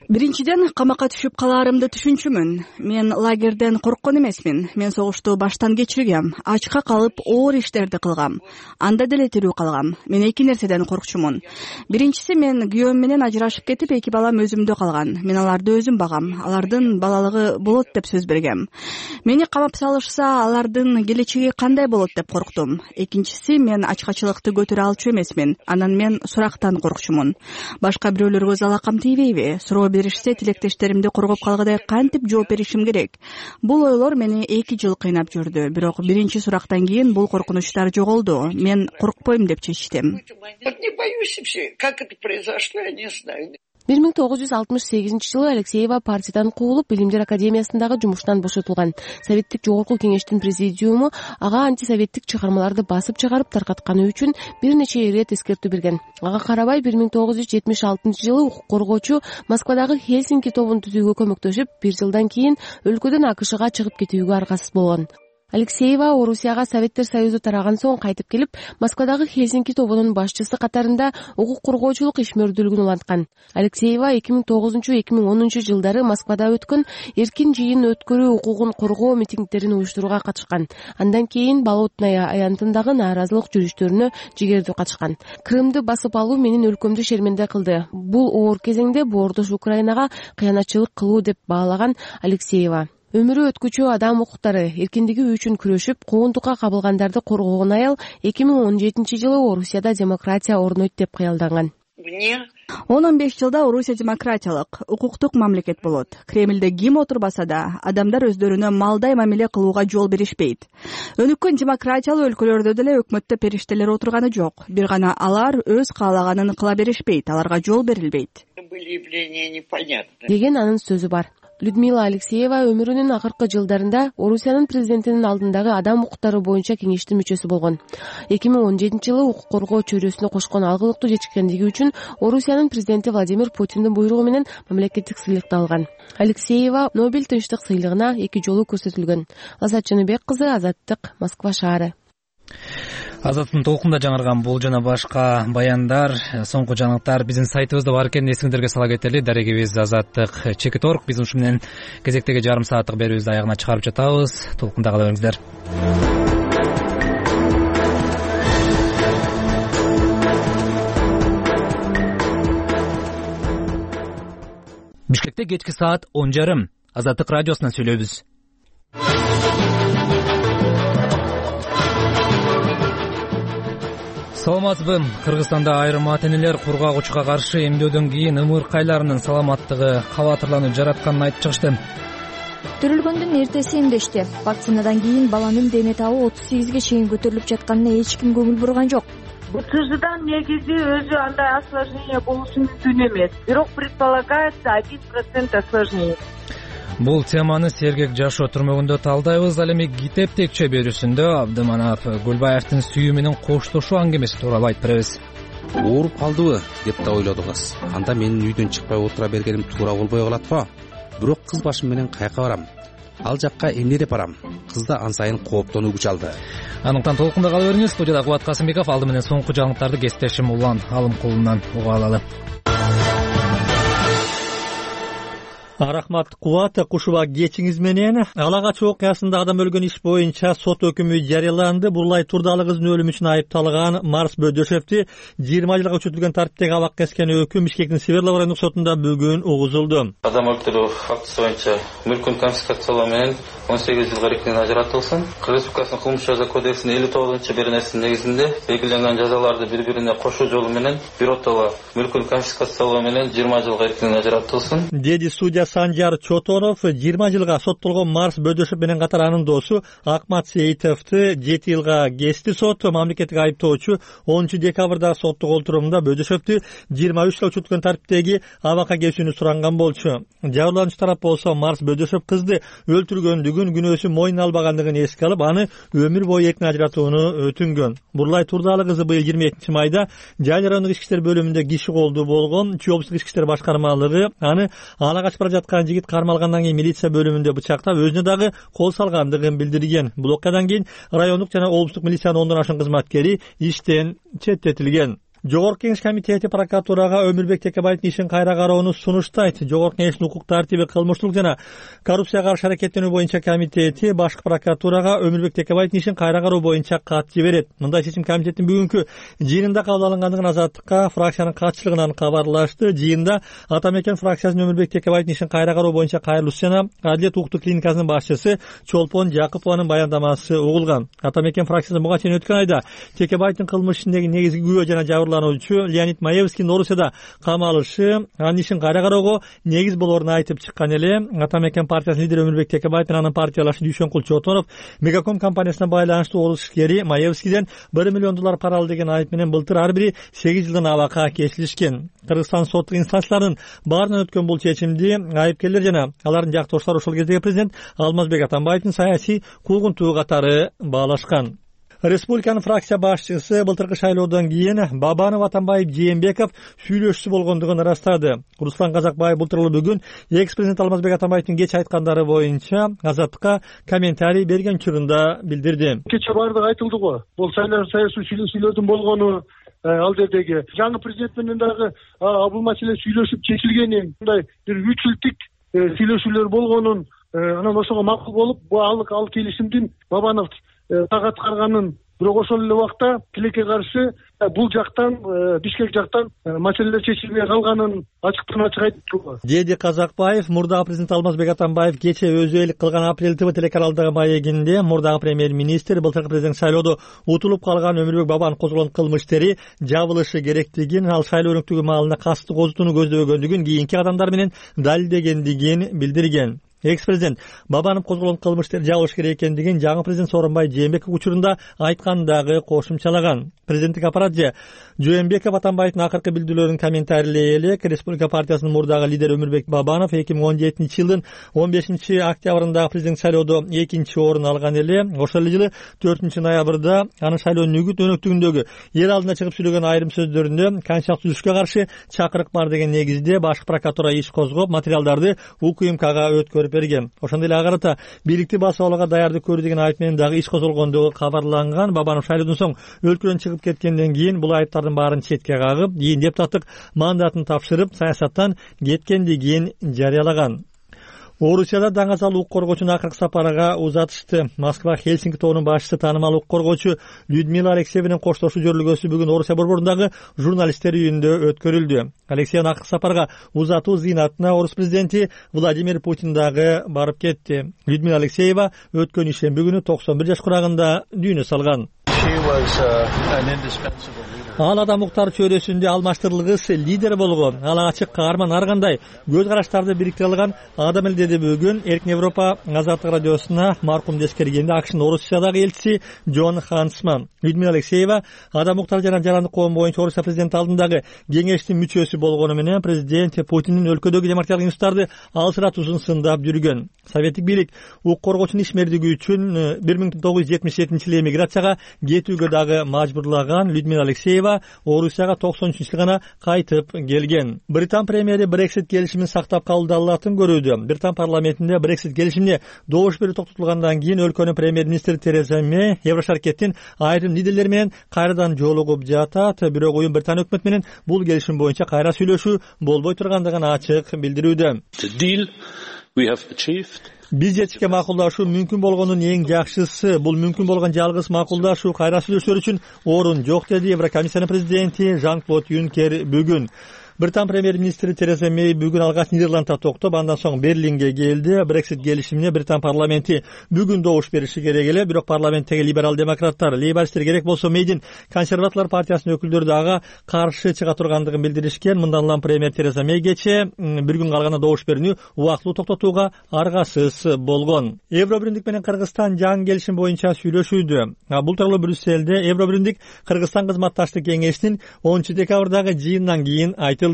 Биринчиден, камакка түшүп калаарымды түшүнчүмүн. Мен лагерден корккон эмесмин. Мен согушту баштан кечиргем. Ачка калып, оор иштерди кылгам. Анда деле тирүү калгам. Мен эки нерседен коркчумун. Биринчиси, мен күйөөм менен ажырашып кетип, эки балам өзүмдө калган. Мен аларды өзүм багам. Алардын балалыгы болот деп сөз бергем. Мени камап салышса, алардын келечеги кандай болот деп корктум. Экинчиси, мен ачкачылыкты көтөрө алчу эмесмин. Анан мен сурактан коркчумун. Башка бирөөлөргө залакам тийбейби? Суроо беришсе, тилектештеримди коргоп калгыдай кантип жооп беришим керек? Бул ойлор мени эки жыл кыйнап жүрдү. Бирок биринчи сурактан кийин бул коркунучтар жоголду. Мен коркпойм деп чечтим. Как это произошло, я не знаю. бир миң тогуз жүз алтымыш сегизинчи жылы Алексеева партиядан куулуп, Билимдер академиясындагы жумуштан бошотулган. Советтик жогорку кеңештин президиуму ага антисоветтик чыгармаларды басып чыгарып таркатканы үчүн бир нече ирет эскертүү берген. Ага карабай бир миң тогуз жүз жетимиш алтынчы жылы укук коргоочу Москвадагы Хельсинки тобун түзүүгө көмөктөшүп, бир жылдан кийин өлкөдөн АКШга чыгып кетүүгө аргасыз болгон. Алексеева Орусияга Советтер Союзу тараган соң кайтып келип, Москвадагы Хельсинки тобунун башчысы катарында укук коргоочулук ишмердүүлүгүн уланткан. Алексеева эки миң тогузунчу — эки миң онунчу жылдары Москвада өткөн эркин жыйын өткөрүү укугун коргоо митингдерин уюштурууга катышкан. Андан кийин Болотная аянтындагы нааразылык жүрүштөрүнө жигердүү катышкан. Крымды басып алуу менин өлкөмдү шерменде кылды. Бул оор кезеңде боордош Украинага кыянатчылык кылуу деп баалаган Алексеева. Өмүрү өткүчү адам укуктары эркиндиги үчүн күрөшүп, куугунтукка кабылгандарды коргогон аял эки миң он жетинчи жылы Орусияда демократия орнойт деп кыялданган. он он беш жылда Орусия демократиялык, укуктук мамлекет болот. Кремлде ким отурбаса да, адамдар өздөрүнө малдай мамиле кылууга жол беришпейт. Өнүккөн демократиялуу өлкөлөрдө деле өкмөттө периштелер отурганы жок. Бир гана алар өз каалаганын кыла беришпейт, аларга жол берилбейт. Были явления непонятны. Деген анын сөзү бар. Людмила Алексеева өмүрүнүн акыркы жылдарында Орусиянын президентинин алдындагы адам укуктары боюнча кеңештин мүчөсү болгон. эки миң он жетинчи жылы укук коргоо чөйрөсүнө кошкон алгылыктуу жетишкендиги үчүн Орусиянын президенти Владимир Путиндин буйругу менен мамлекеттик сыйлыкты алган. Алексеева Нобель тынчтык сыйлыгына эки жолу көрсөтүлгөн. Азат Жаныбек кызы, Азаттык, Москва шаары. Азаттын толкунда жаңырган бул жана башка баяндар, соңку жаңылыктар биздин сайтыбызда бар экенин эсиңиздерге сала кетели. Дарегибиз Азаттык чекит орг. Биз ушу менен кезектеги жарым сааттык берүүбүздү аягына чыгарып жатабыз. Толкунда кала бериңиздер. Бишкекте кечки саат он жарым. Азаттык радиосунан сүйлөйбүз. Саламатсызбы? Кыргызстанда айрым ата-энелер кургагучуга каршы эмдөөдөн кийин ымыркайларынын саламаттыгы кабатырлануу жаратканын айтып чыгышты. Төрөлгөндүн эртеси эмдешти. Вакцинадан кийин баланын дене табы отуз сегизге чейин көтөрүлүп жатканына эч ким көңүл бурган жок. БЦЖдан негизи өзү андай осложнение болушу мүмкүн эмес. Бирок предполагается один процент осложнений. Бул теманы Сергек жашоо түрмөгүндө талдайбыз. Ал эми китеп текче берүүсүндө Абдыманап Гүлбаевдин сүйүү менен коштошуу аңгемеси тууралуу айтып беребиз. Ооруп калдыбы деп да ойлоду кыз. Анда менин үйдөн чыкпай отура бергеним туура болбой калат го. Бирок кыз башым менен каяка барам? Ал жакка эмне деп барам? Кыз да ан сайын кооптонуу күч алды. Аныктан толкунда кала бериңиз. Студияда Кубат Касымбеков, алды менен соңку жаңылыктарды кесиптешим Улан Алымкулунан уга алалы. Рахмат Кубат, кушуба кечиңиз менен. Ала кач окуясында адам өлгөн иш боюнча сот өкүмү жарыяланды. Бурлай Турдалы кыздын өлүмү үчүн айыпталган Марс Бөдөшевди жыйырма жылга күчөтүлгөн тартиптеги абакка кескен өкүм Бишкектин Свердлов райондук сотунда бүгүн угузулду. Адам өлтүрүү фактысы боюнча мүлкүн конфискациялоо менен он сегиз жылга эркинен ажыратылсын. Кыргыз Республикасынын кылмыш жаза кодексинин элүү тогузунчу беренесинин негизинде белгиленген жазаларды бири-бирине кошуу жолу менен биротоло мүлкүн конфискациялоо менен жыйырма жылга эркинен ажыратылсын, деди судья Санжар Чотонов. жыйырма жылга соттолгон Марс Бөдөшев менен катар анын досу Акмат Сейитовду жети жылга кести сот. Мамлекеттик айыптоочу онунчу декабрда соттук олтурумда Бөдөшевдү жыйырма үч жылга күчөтүлгөн тартиптеги абакка кесүүнү суранган болчу. Жабырлануучу тарап болсо Марс Бөдөшев кызды өлтүргөндүгүн, күнөөсүн мойнуна албагандыгын эске алып, аны өмүр бою эркин ажыратууну өтүнгөн. Бурлай Турдалы кызы быйыл жыйырма экинчи майда Жайыл райондук ички иштер бөлүмүндө киши колдуу болгон. Чүй облустук ички иштер башкармалыгы аны ала качып бара жаткан жигит кармалгандан кийин милиция бөлүмүндө бычактап, өзүнө дагы кол салгандыгын билдирген. Бул окуядан кийин райондук жана облустук милициянын ондон ашуун кызматкери иштен четтетилген. Жогорку Кеңеш комитети прокуратурага Өмүрбек Текебаевдин ишин кайра кароону сунуштайт. Жогорку Кеңештин укук тартиби, кылмыштуулук жана коррупцияга каршы аракеттенүү боюнча комитети башкы прокуратурага Өмүрбек Текебаевдин ишин кайра кароо боюнча кат жиберет. Мындай чечим комитеттин бүгүнкү жыйынында кабыл алынгандыгын Азаттыкка фракциянын катчылыгынан кабарлашты. Жыйында Атамекен фракциясынын Өмүрбек Текебаевдин ишин кайра кароо боюнча кайрылуучу жана Адилет укуктук клиникасынын башчысы Чолпон Жакупованын баяндамасы угулган. Атамекен фракциясы буга чейин өткөн айда Текебаевдин кылмыш ишиндеги негизги күбө жана жабырлануучу Леонид Маевскийдин Орусияда камалышы анын ишин кайра кароого негиз болоорун айтып чыккан эле. Атамекен партиясынын лидери Өмүрбек Текебаев менен анын партиялашы Дүйшөнкул Чотонов Мегаком компаниясына байланыштуу орус ишкери Маевскийден бир миллион доллар пара алды деген айып менен былтыр ар бири сегиз жылдан абакка кесилишкен. Кыргызстан соттук инстанцияларынын баарынан өткөн бул чечимди айыпкерлер жана алардын жактоошулары ошол кездеги президент Алмазбек Атамбаевдин саясий куугунтугу катары баалашкан. Республиканын фракция башчысы былтыркы шайлоодон кийин Бабанов, Атамбаев, Жээнбеков сүйлөшүүчү болгондугун ырастады. Руслан Казакбаев былтыр бүгүн экс-президент Алмазбек Атамбаевдин кеч айткандары боюнча Азаттыкка комментарий берген учурунда билдирди. Кече баардыгы айтылды го. Бул саясий сүйлөшүүлөрдүн болгону, ал жердеги жаңы президент менен дагы бул маселе сүйлөшүп чечилгени, мындай бир үч жылдык сүйлөшүүлөр болгонун, анан ошого макул болуп, бул ал келишимдин Бабанов так аткарганын, бирок ошол эле убакта тилекке каршы бул жактан, Бишкек жактан маселелер чечилбей калганын ачыктан ачык айтты. Деди Казакбаев мурдагы президент Алмазбек Атамбаев кече өзү элик кылган Апрель ТВ телеканалдагы маегинде мурдагы премьер-министр былтыркы президент шайлоодо утулуп калган Өмүрбек Бабанов козголгон кылмыш иштери жабылышы керектигин, ал шайлоо өнүктүгү маалында касты козутууну көздөбөгөндүгүн кийинки кадамдар менен далилдегендигин билдирген. экс президент Бабанов козголгон кылмыш иштерди жабылыш керек экендигин жаңы президент Сооронбай Жээнбеков учурунда айтканын дагы кошумчалаган. Президенттик аппарат же Жээнбеков Атамбаевдин акыркы билдирүүлөрүн комментарийлей элек Республика партиясынын мурдагы лидери Өмүрбек Бабанов эки миң он жетинчи жылдын он бешинчи октябрындагы президенттик шайлоодо экинчи орун алган эле. Ошол эле жылы төртүнчү ноябрда анын шайлоонун үгүт өнөктүгүндөгү эл алдына чыгып сүйлөгөн айрым сөздөрүндө конституциялык түзүлүшкө каршы чакырык бар деген негизде башкы прокуратура иш козгоп, материалдарды УКМКга өткөрүп берген. Ошондой эле ага карата бийликти басып алууга даярдык көрүү деген айып менен дагы иш козголгондугу кабарланган. Бабанов шайлоодон соң өлкөдөн чыгып кеткенден кийин бул айыптардын баарын четке кагып, кийин депутаттык мандатын тапшырып, саясаттан кеткендигин жарыялаган. Орусияда даңазал укук коргоочуну акыркы сапарга узатышты. Москва Хельсинки тобунун башчысы таанымал укук коргоочу Людмила Алексеевнин коштошуу жөрүлгөсү бүгүн Орусия борборундагы журналисттер үйүндө өткөрүлдү. Алексеевнин акыркы сапарга узатуу зыйнатына орус президенти Владимир Путин дагы барып кетти. Людмила Алексеева өткөн ишемби күнү токсон бир жаш курагында дүйнө салган. Ал адам укуктар чөйрөсүндө алмаштырылгыс лидер болгон, ал ачык каарман, ар кандай көз караштарды бириктире алган адам эле, деди бүгүн Эркин Европа Азаттык радиосуна маркумду эскергенде АКШнын Орусиядагы элчиси Джон Хансман. Людмила Алексеева адам укуктар жана жарандык коом боюнча Орусия президенти алдындагы кеңештин мүчөсү болгону менен президент Путиндин өлкөдөгү демократиялык институттарды алсыратуусун сындап жүргөн. Советтик бийлик укук коргоочунун ишмердиги үчүн бир миң тогуз жүз жетимиш жетинчи жылы эмиграцияга кетүүгө дагы мажбурлаган. Людмила Алексеева Орусияга токсон үчүнчү жылы гана кайтып келген. Британ премьери Брексит келишимин сактап калууду алатын көрүүдө. Британ парламентинде Брексит келишимине добуш берүү токтотулгандан кийин өлкөнүн премьер-министри Тереза Мэй Еврошаркеттин айрым лидерлери менен кайрадан жолугуп жатат. Бирок уюм Британ өкмөтү менен бул келишим боюнча кайра сүйлөшүү болбой тургандыгын ачык билдирүүдө. Биз жетишке макулдашуу мүмкүн болгонун эң жакшысы. Бул мүмкүн болгон жалгыз макулдашуу, кайра сүйлөшүүлөр үчүн орун жок, деди Еврокомиссиянын президенти Жан-Клод Юнкер бүгүн. Британ премьер-министри Тереза Мэй бүгүн алгач Нидерландта токтоп, андан соң Берлинге келди. Брексит келишимине Британ парламенти бүгүн добуш бериши керек эле, бирок парламенттеги либерал демократтар, лейбористтер керек болсо Мэйдин консерваторлор партиясынын өкүлдөрү дагы каршы чыга тургандыгын билдиришкен. Мындан улам премьер Тереза Мэйгече бир күн калганда добуш берүүнү убактылуу токтотууга аргасыз болгон. Евробиримдик менен Кыргызстан жаңы келишим боюнча сүйлөшүүдө. Бул тууралуу Брюссельде Евробиримдик Кыргызстан кызматташтык кеңешинин онунчу декабрдагы жыйынынан кийин айтылды. Биз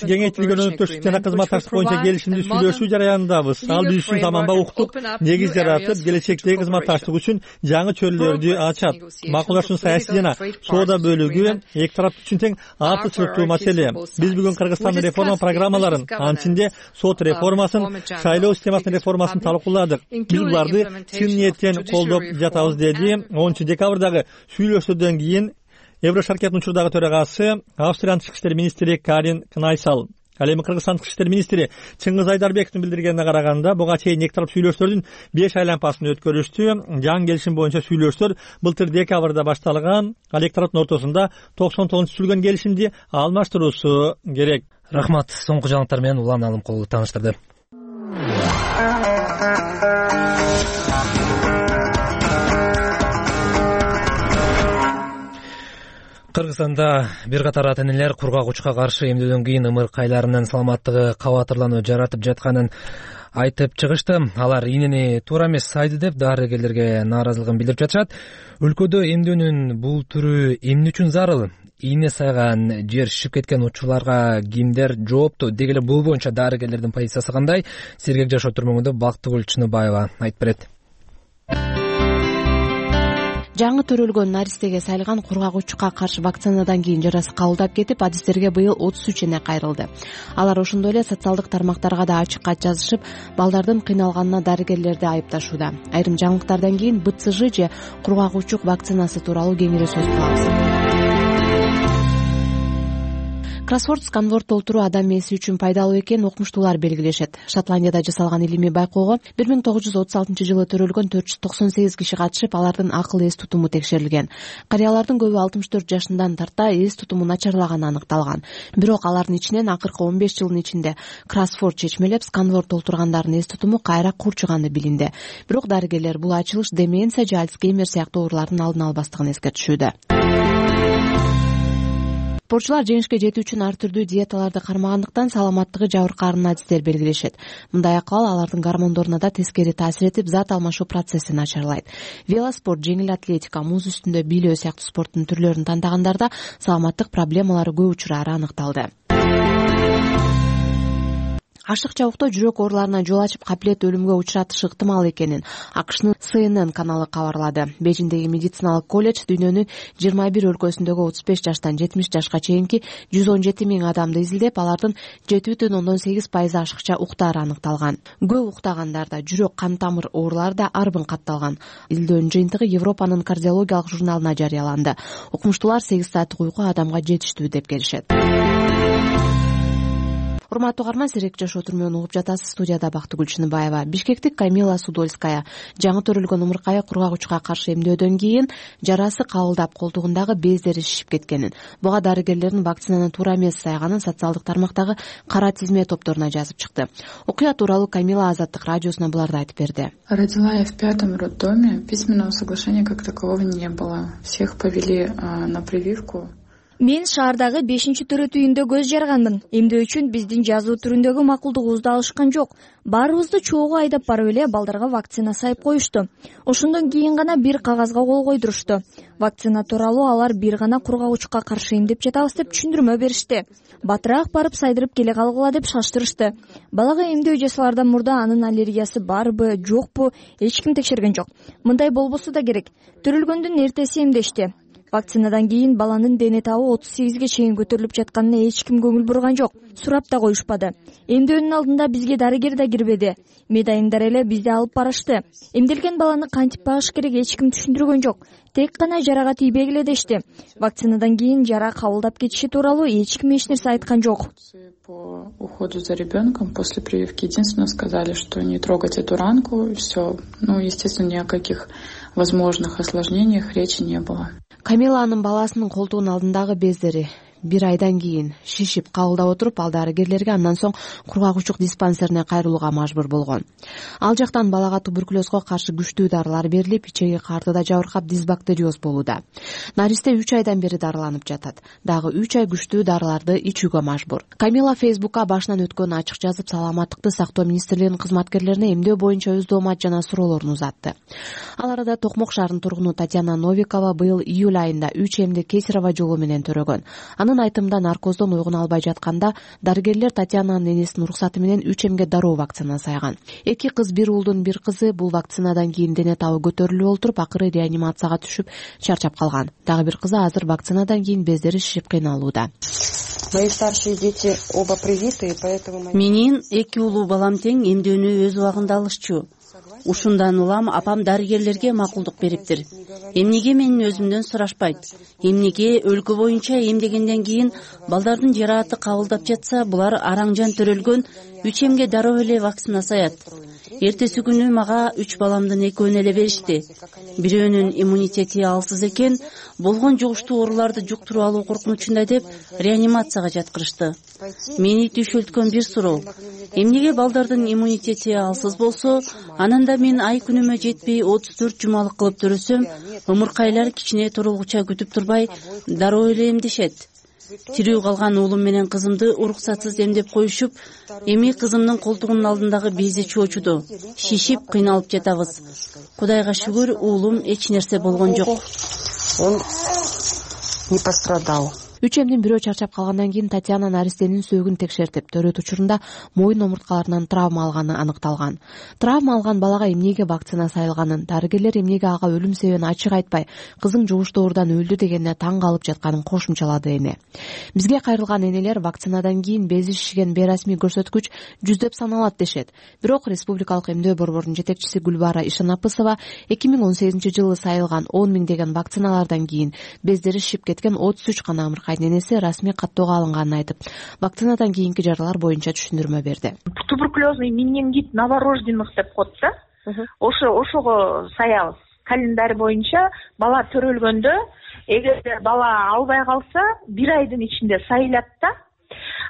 кеңейтилген өнөктөштүк жана кызматташтык боюнча келишимди сүйлөшүү жараянындабыз. Ал биз үчүн заманбап укуктук негиз жаратып, келечектеги кызматташтык үчүн жаңы чөйрөлөрдү ачат. Макулдашуунун саясий жана соода бөлүгү эки тарап үчүн тең артыкчылыктуу маселе. Биз бүгүн Кыргызстандын реформа программаларын, анын ичинде сот реформасын, шайлоо системасынын реформасын талкууладык. Биз буларды чын ниеттен колдоп жатабыз, деди онунчу декабрдагы сүйлөшүүдөн кийин Еврошаркеттин учурдагы төрагасы Австриянын тышкы иштер министри Карин Кнайсал. Ал эми Кыргызстан тышкы иштер министри Чыңгыз Айдарбековдун билдиргенине караганда, буга чейин эки тарап сүйлөшүүлөрдүн беш айланпасын өткөрүштү. Жаңы келишим боюнча сүйлөшүүлөр былтыр декабрда башталган. Ал эки тараптын ортосунда токсон тогузунчу түзүлгөн келишимди алмаштыруусу керек. Рахмат. Соңку жаңылыктар менен Улан Алымкулов тааныштырды. Кыргызстанда бир катар ата-энелер кургак учка каршы эмдөөдөн кийин ымыркайларынын саламаттыгы кабатырлануу жаратып жатканын айтып чыгышты. Алар ийнени туура эмес сайды деп дарыгерлерге нааразылыгын билдирип жатышат. Өлкөдө эмдөөнүн бул түрү эмне үчүн зарыл? Ийне сайган жер шишип кеткен учурларга кимдер жоопту? Деги эле бул боюнча дарыгерлердин позициясы кандай? Сергек жашоо түрмөгүндө Бактыгүл Чыныбаева айтып берет. Жаңы төрөлгөн наристеге сайылган кургак учукка каршы вакцинадан кийин жарасы кабылдап кетип, адистерге быйыл отуз үч эне кайрылды. Алар ошондой эле социалдык тармактарга да ачык кат жазышып, балдардын кыйналганына дарыгерлерди айыпташууда. Айрым жаңылыктардан кийин Б Ц Ж же кургак учук вакцинасы тууралуу кеңири сөз кылабыз. Кроссворд сканворд толтуруу адам мээси үчүн пайдалуу экенин окумуштуулар белгилешет. Шотландияда жасалган илимий байкоого бир миң тогуз жүз отуз алтынчы жылы төрөлгөн төрт жүз токсон сегиз киши катышып, алардын акыл эс тутуму текшерилген. Карыялардын көбү алтымыш төрт жашынан тарта эс тутуму начарлаганы аныкталган. Бирок алардын ичинен акыркы он беш жылдын ичинде кроссворд чечмелеп сканворд толтургандардын эс тутуму кайра курчуганы билинди. Бирок дарыгерлер бул ачылыш деменция же Альцгеймер сыяктуу оорулардын алдын албастыгын эскертишүүдө. спортчулар жеңишке жетүү үчүн ар түрдүү диеталарды кармагандыктан саламаттыгы жабыркаарын адистер белгилешет. Мындай акыбал алардын гормондоруна да тескери таасир этип, зат алмашуу процессин начарлайт. Велоспорт, жеңил атлетика, муз үстүндө бийлөө сыяктуу спорттун түрлөрүн тандагандарда саламаттык проблемалары көп учурары аныкталды. Ашыкча уктоо жүрөк ооруларына жол ачып, капилет өлүмгө учуратышы ыктымал экенин АКШнын Си Эн Эн каналы кабарлады. Бейжиңдеги медициналык колледж дүйнөнүн жыйырма бир өлкөсүндөгү отуз беш жаштан жетимиш жашка чейинки жүз он жети миң адамды изилдеп, алардын жети бүтүн ондон сегиз пайызы ашыкча уктаары аныкталган. Көп уктагандарда жүрөк кан тамыр оорулары да арбын катталган. Изилдөөнүн жыйынтыгы Европанын кардиологиялык журналына жарыяланды. Укмуштуулар сегиз сааттык уйку адамга жетиштүү деп келишет. Урматтуу угарман, Серек жашоо түрмөгүн угуп жатасыз. Студияда Бактыгүл Чыныбаева. Бишкектик Камила Судольская жаңы төрөлгөн умуркая кургак учка каршы эмдөөдөн кийин жарасы кабылдап, колтугундагы бездери шишип кеткенин, буга дарыгерлердин вакцинаны туура эмес сайганын социалдык тармактагы кара тизме топторуна жазып чыкты. Окуя тууралуу Камила Азаттык радиосуна буларды айтып берди. Родила я в пятом роддоме. Письменного соглашения как такового не было. Всех повели на прививку. Мен шаардагы бешинчи төрөт үйүндө көз жарганмын. Эмдөө үчүн биздин жазуу түрүндөгү макулдугубузду алышкан жок. Баарыбызды чогуу айдап барып эле балдарга вакцина сайып коюшту. Ошондон кийин гана бир кагазга кол койдурушту. Вакцина тууралуу алар бир гана кургак учукка каршы эмдеп жатабыз деп түшүндүрмө беришти. Батыраак барып сайдырып келе калгыла деп шаштырышты. Балага эмдөө жасалардан мурда анын аллергиясы барбы, жокпу, эч ким текшерген жок. Мындай болбосо да керек. Төрөлгөндүн эртеси эмдешти. Вакцинадан кийин баланын дене табы отуз сегизге чейин көтөрүлүп жатканына эч ким көңүл бурган жок. Сурап да коюшпады. Эмдөөнүн алдында бизге дарыгер да кирбеди. Медайымдар эле бизди алып барышты. Эмделген баланы кантип багыш керек эч ким түшүндүргөн жок. Тек гана жарага тийбегиле эле дешти. Вакцинадан кийин жара кабылдап кетиши тууралуу эч ким эч нерсе айткан жок. По уходу за ребенком после прививки единственно сказали, что не трогать эту ранку, и все. Ну, естественно, ни о каких возможных осложнениях речи не было. Камиланын баласынын колтугунун алдындагы бездери бир айдан кийин шишип кабылдап отуруп, ал дарыгерлерге андан соң кургак учук диспансерине кайрылууга мажбур болгон. Ал жактан балага туберкулезго каршы күчтүү дарылар берилип, ичеги картыда жабыркап дисбактериоз болууда. Наристе үч айдан бери дарыланып жатат. Дагы үч ай күчтүү дарыларды ичүүгө мажбур. Камила Фейсбукка башынан өткөнүн ачык жазып, саламаттыкты сактоо министрлигинин кызматкерлерине эмдөө боюнча өз доомат жана суроолорун узатты. Ал арада Токмок шаарынын тургуну Татьяна Новикова быйыл июль айында үч эмди кесарево жолу менен төрөгөн. Анын айтымында наркоздон ойгуна албай жатканда дарыгерлер Татьянанын энесинин уруксаты менен үч эмге дароо вакцина сайган. Эки кыз, бир уулдун бир кызы бул вакцинадан кийин дене табы көтөрүлүп олтуруп, акыры реанимацияга түшүп чарчап калган. Дагы бир кызы азыр вакцинадан кийин бездери шишип кыйналууда. Мои старшие дети оба привиты, поэтому... Менин эки уулуу балам тең эмдөөнү өз убагында алышчу. Ушундан улам апам дарыгерлерге макулдук бериптир. Эмнеге менин өзүмдөн сурашпайт? Эмнеге өлкө боюнча эмдегенден кийин балдардын жарааты кабылдап жатса, булар араңжан төрөлгөн үч эмге дароо эле вакцина саят. Эртеси күнү мага үч баламдын экөөнү эле беришти. Бирөөнүн иммунитети алсыз экен, болгон жугуштуу ооруларды жуктуруп алуу коркунучунда деп реанимацияга жаткырышты. Мени түйшөлткөн бир суроо: эмнеге балдардын иммунитети алсыз болсо, ананда мен ай күнүмө жетпей отуз төрт жумалык кылып төрөсөм, ымыркайлар кичине турулгуча күтүп турбай дароо эле эмдешет. Тирүү калган уулум менен кызымды уруксатсыз эмдеп коюшуп, эми кызымдын колтугунун алдындагы бези чоочуду. Шишип кыйналып жатабыз. Кудайга шүгүр, уулум эч нерсе болгон жок. Он не пострадал. Үч эмдин бирөө чарчап калгандан кийин Татьяна наристенин сөөгүн текшертип, төрөт учурунда моюн омурткаларынан травма алганы аныкталган. Травма алган балага эмнеге вакцина сайылганын, дарыгерлер эмнеге ага өлүм себебин ачык айтпай, кызың жугуштуу оорудан өлдү дегенине таң калып жатканын кошумчалады эне. Бизге кайрылган энелер вакцинадан кийин бези шишиген бейрасмий көрсөткүч жүздөп саналат дешет. Бирок Республикалык эмдөө борборунун жетекчиси Гүлбара Ишанапысова эки миң он сегизинчи жылы сайылган он миңдеген вакциналардан кийин бездери шишип кеткен отуз үч гана энеси расмий каттоого алынганын айтып, вакцинадан кийинки жаралар боюнча түшүндүрмө берди. Туберкулезный менингит новорожденных деп коет да. Ошо ошого саябыз. Календарь боюнча бала төрөлгөндө, эгерде бала албай калса, бир айдын ичинде сайылат да.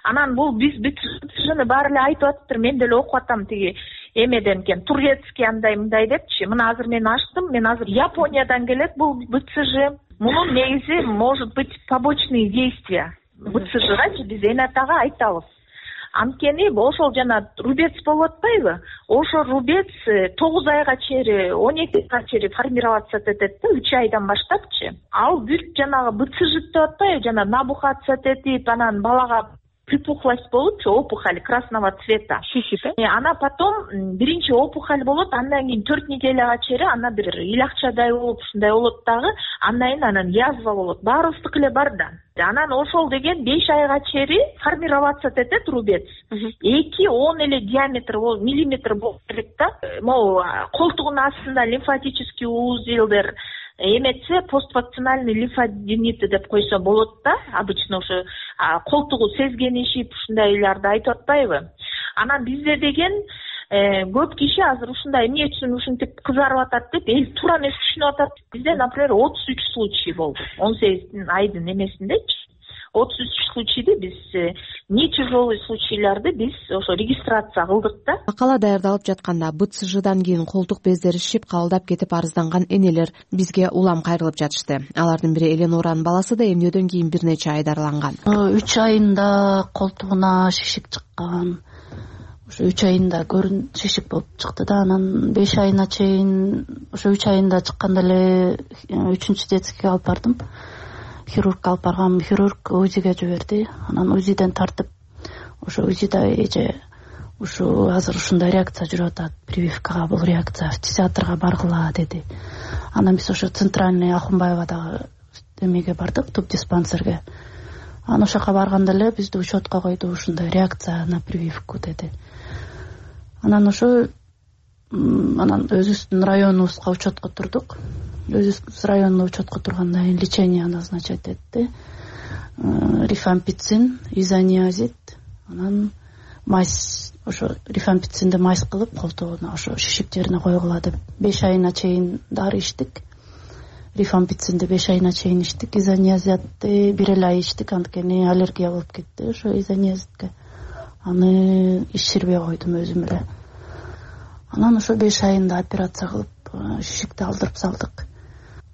Анан бул биз бүтүнү баары эле айтып атыптыр. Мен деле окуп атам тиги эмеден экен. Турецкий андай мындай депчи. Мына азыр мен ачтым. Мен азыр Япониядан келет бул бэ цэ жэ. Мунун негизи может быть побочные действия. БЦЖгачы биз Энатага айтабыз. Анткени ошол жана рубец болуп атпайбы? Ошо рубец тогуз айга чейин, он эки айга чейин формироваться этет да, үч айдан баштапчы. Ал бүт жанагы БЦЖ деп атпайбы, жана набухаться этип, анан балага припухлость болупчу, опухоль красного цвета. Шишип, э? Ана потом биринчи опухоль болот, андан кийин төрт неделяга чейин ана бир илакчадай болуп, ушундай болот дагы, андан кийин анан язва болот. Баарыбыздыкы эле бар да. Анан ошол деген беш айга чейин формироваться этет рубец. эки он эле диаметр миллиметр болуп керек да. Могу колтугунун астында лимфатический узелдер эметсе, поствакцинальный лимфадениты деп койсо болот да. Обычно ошо колтугу сезгенишип ушундайларды айтып атпайбы? Анан бизде деген көп киши азыр ушундай эмне үчүн ушинтип кызарып атат деп эл туура эмес түшүнүп атат. Бизде, например, отуз үч случай болду. он сегиз айдын эмесиндечи. отуз үч случайды биз нечужолый случайларды биз ошо регистрация кылдык да. Макала даярдалып жатканда БЦЖдан кийин колтук бездери шишип кабылдап кетип арызданган энелер бизге улам кайрылып жатышты. Алардын бири Эленоранын баласы да эмнеден кийин бир нече ай дарыланган. үч айында колтугуна шишик чыккан. Ошо үч айында көрүн шишик болуп чыкты да, анан беш айына чейин, ошо үч айында чыкканда эле үчүнчү детскийге алып бардым. Хирург алып баргам, хирург УЗИге жиберди. Анан УЗИден тартып, ошо УЗИда эже ушу азыр ушундай реакция жүрүп атат, прививкага бул реакция, фтизиатрга баргыла деди. Анан биз ошо центральный Ахунбаевадагы эмеге бардык, туп диспансерге. Анан ошол жака барганда эле бизди учетко койду, ушундай реакция на прививку деди. Анан ошо анан өзүбүздүн районубузга учетко турдук. Өзүбүз районно учетко тургандан кийин лечение назначать этти. Рифампицин, изониазид, анан майс, ошо рифампицинди майс кылып колтугуна ошо шишик жерине койгула деп беш айына чейин дары ичтик. Рифампицинди беш айына чейин ичтик, изониазидди бир эле ай ичтик, анткени аллергия болуп кетти ошо изониазидке. Аны ичирбей койдум өзүм эле. Анан ошо беш айында операция кылып шишикти алдырып салдык.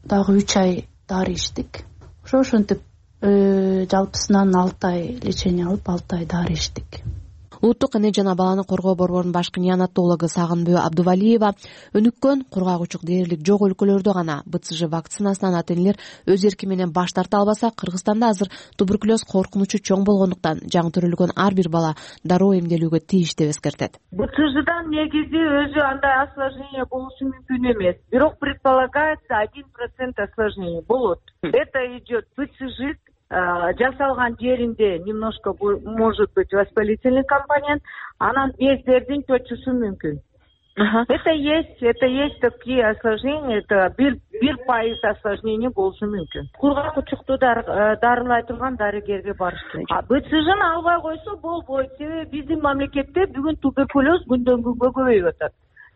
Дагы үч ай дары ичтик. Ошо ошентип жалпысынан алты ай лечение алып, алты ай дары ичтик. Улуттук эне жана баланы коргоо борборунун башкы неонатологу Сагынбөө Абдувалиева өнүккөн кургагучук дээрлик жок өлкөлөрдө гана БЦЖ вакцинасынан ата-энелер өз эрки менен баш тарта албаса, Кыргызстанда азыр туберкулез коркунучу чоң болгондуктан жаңы төрөлгөн ар бир бала дароо эмделүүгө тийиш деп эскертет. БЦЖдан негизи өзү андай осложнение болушу мүмкүн эмес. Бирок предполагается один процент осложнение болот. Это идет БЦЖ жасалган жеринде немножко может быть воспалительный компонент, анан бездердин чочушу мүмкүн. Это есть, это есть такие осложнения, это бир бир пайыз осложнение болушу мүмкүн. Кургакучукту дарылай турган дарыгерге барыш керек. БЦЖны албай койсо болбойт. Себеби биздин мамлекетте бүгүн туберкулез күндөн күнгө көбөйүп атат.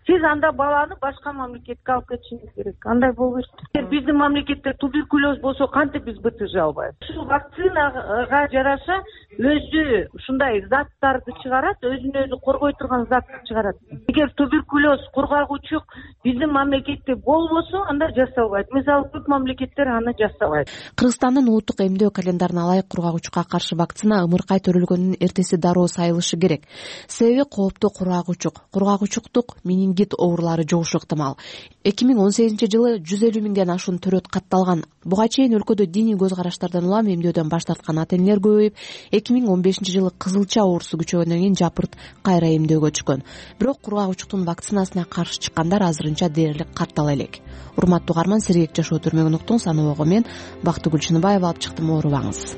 Сиз анда баланы башка мамлекетке алып кетишиңиз керек. Андай болбойт. Биздин мамлекетте туберкулез болсо кантип биз БЦЖ албайбыз? Ушул вакцинага жараша өзү ушундай заттарды чыгарат, өзүн өзү коргой турган затты чыгарат. Эгер туберкулез кургагучук биздин мамлекетте болбосо, анда жасалбайт. Мисалы көп мамлекеттер аны жасабайт. Кыргызстандын улуттук эмдөө календарына ылайык кургагучукка каршы вакцина ымыркай төрөлгөндүн эртеси дароо сайылышы керек. Себеби кооптуу кургагучук, кургагучуктук менингит оорулары жугушу ыктымал. эки миң он сегизинчи жылы жүз элүү миңден ашуун төрөт катталган. Буга чейин өлкөдө диний көз караштардан улам эмдөөдөн баш тарткан ата-энелер көбөйүп, эки миң он бешинчи жылы кызылча оорусу күчөгөндөн кийин жапырт кайра эмдөөгө түшкөн. Бирок кургагучуктун вакцинасына каршы чыккандар азырынча дээрлик каттала элек. Урматтуу угарман, сергек жашоо түрмөгүн уктуң, саноого мен Бактыгүл Чыныбаева алып чыктым, оорубаңыз.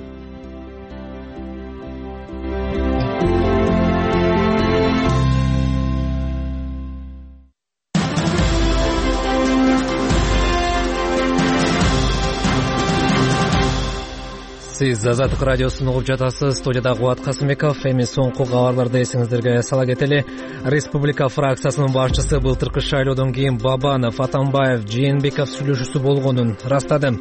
Сиз Азаттык радиосун угуп жатасыз. Студияда Кубат Касымбеков. Эми соңку кабарларды эсиңиздерге сала кетели. Республика фракциясынын башчысы былтыркы шайлоодон кийин Бабанов, Атамбаев, Жээнбеков сүйлөшүүсү болгонун ырастады.